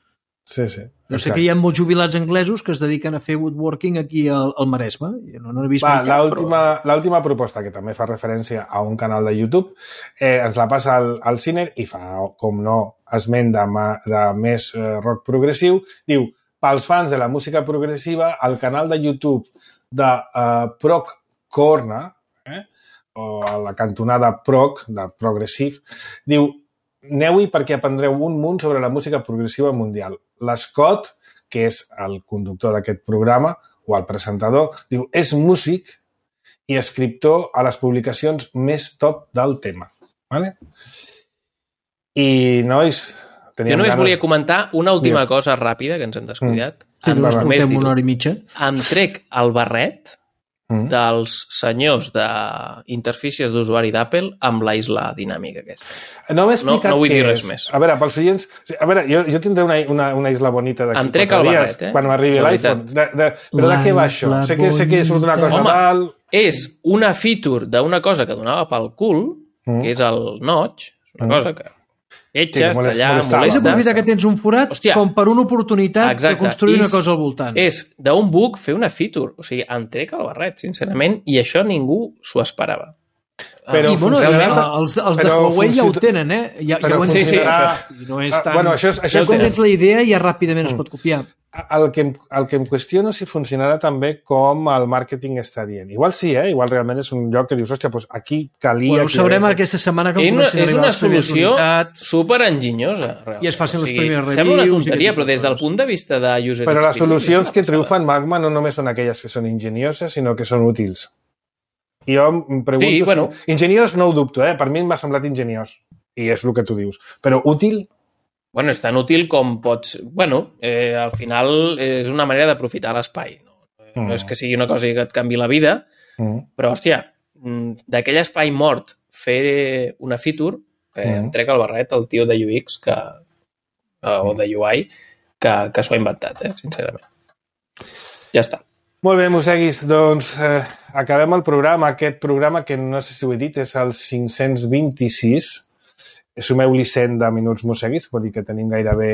Sí, sí. Jo sé que hi ha molts jubilats anglesos que es dediquen a fer woodworking aquí al, al Maresme. Jo no, no he vist Va, mai cap, però... L'última proposta, que també fa referència a un canal de YouTube, eh, ens la passa al, al Ciner i fa, com no, esment de, de més eh, rock progressiu. Diu, pels fans de la música progressiva, el canal de YouTube de eh, Prog Corner, eh, o a la cantonada Prog, de Progressive, diu, aneu-hi perquè aprendreu un munt sobre la música progressiva mundial. L'Scott, que és el conductor d'aquest programa, o el presentador, diu, és músic i escriptor a les publicacions més top del tema. Vale? I, nois... Jo només ganes... volia comentar una última Dios. cosa ràpida que ens hem descuidat. Mm. Sí, no, només una hora i mitja. Em trec el barret mm. dels senyors d'interfícies d'usuari d'Apple amb la isla dinàmica aquesta. No m'he explicat no, no vull què dir res és. més. A veure, pels oients... A veure, jo, jo tindré una, una, una isla bonita d'aquí. Em trec el barret, eh? Quan m'arribi l'iPhone. De, de, però la de què va això? Sé que, sé que surt una cosa Home, tal... és una feature d'una cosa que donava pel cul, mm. que és el notch, una mm. cosa que etges, sí, tallar, molesta. És aprofitar que tens un forat Hòstia, com per una oportunitat exacte. de construir és, una cosa al voltant. És d'un bug fer una feature. O sigui, em trec el barret, sincerament, i això ningú s'ho esperava. Però I, bueno, funciona... els, els de Huawei ja ho tenen, eh? Ja, ja ho sí, sí, això. I no és tan... Bueno, això és, això ja quan tens la idea ja ràpidament mm. es pot copiar. El que, em, el que em qüestiono si funcionarà també com el màrqueting està dient. Igual sí, eh? Igual realment és un lloc que dius, hòstia, doncs aquí calia... Bueno, ho sabrem aquesta setmana que comencin a arribar. És una solució superenginyosa. I es facin o sigui, les primeres reviews. Sembla una tonteria, però des del punt de vista de user Però les solucions que triomfen Magma no només són aquelles que són enginyoses, sinó que són útils. I jo em pregunto... Sí, bueno. si... Ingeniós no ho dubto, eh? Per mi m'ha semblat ingeniós. I és el que tu dius. Però útil... Bueno, és tan útil com pots... Bueno, eh, al final és una manera d'aprofitar l'espai. No? Mm. no és que sigui una cosa que et canvi la vida, mm. però, hòstia, d'aquell espai mort fer una feature, eh, mm. em trec el barret el tio de U X que, eh, o de U I que, que s'ho ha inventat, eh, sincerament. Ja està. Molt bé, Moseguis, doncs eh, acabem el programa. Aquest programa, que no sé si ho he dit, és el cinc-cents vint-i-sis. Sumeu-li cent de minuts Moseguis, vol dir que tenim gairebé...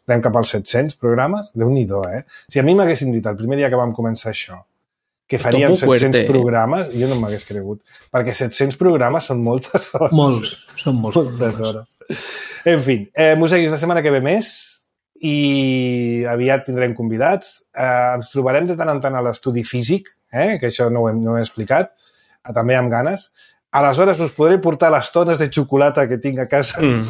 Anem cap als set-cents programes. Déu-n'hi-do, eh? Si a mi m'haguessin dit el primer dia que vam començar això que faríem set-cents programes, jo no m'hagués cregut. Perquè set-cents programes són moltes hores. Molts, són molts. Moltes hores. En fi, eh, Moseguis, la setmana que ve més i aviat tindrem convidats. Eh, ens trobarem de tant en tant a l'estudi físic, eh, que això no ho, hem, no ho he explicat, eh, també amb ganes. Aleshores us podré portar les tones de xocolata que tinc a casa mm.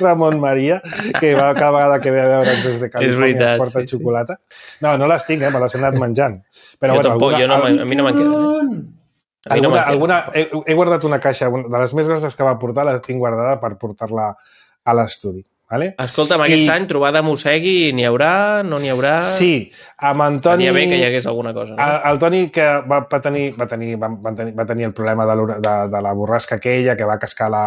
Ramon Maria, que va cada vegada que ve a veure'ns des de Califòrnia ens porta sí, xocolata. Sí. No, no les tinc, eh, me les he anat menjant. Però, jo bueno, tampoc, alguna, jo no, a mi no me'n queden. Eh? A mi alguna, no alguna, he, he guardat una caixa, de les més grosses que va portar, la tinc guardada per portar-la a l'estudi. Vale? Escolta'm, aquest I... any trobada Mosegui, n'hi haurà, no n'hi haurà... Sí, amb en Toni... Tenia bé que hi hagués alguna cosa. No? El Toni que va, va, tenir, va, tenir, va, va, tenir, va tenir el problema de, de, de la borrasca aquella, que va cascar la,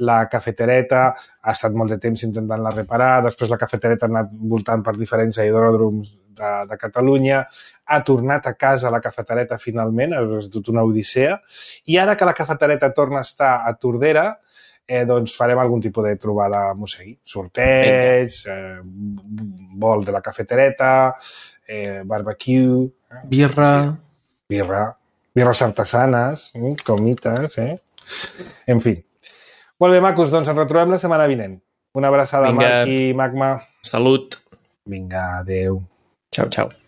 la cafetereta, ha estat molt de temps intentant-la reparar, després la cafetereta ha anat voltant per diferents aeròdroms de, de Catalunya, ha tornat a casa la cafetereta finalment, és tot una odissea, i ara que la cafetereta torna a estar a Tordera, Eh, doncs farem algun tipus de trobada a Mosegui. Sorteig, eh, vol de la cafetereta, eh, barbecue... Birra... birra, birres artesanes, comites, eh? En fi. Molt bé, macos, doncs ens retrobem la setmana vinent. Una abraçada, Marc i Magma. Salut. Vinga, adeu. Ciao, ciao.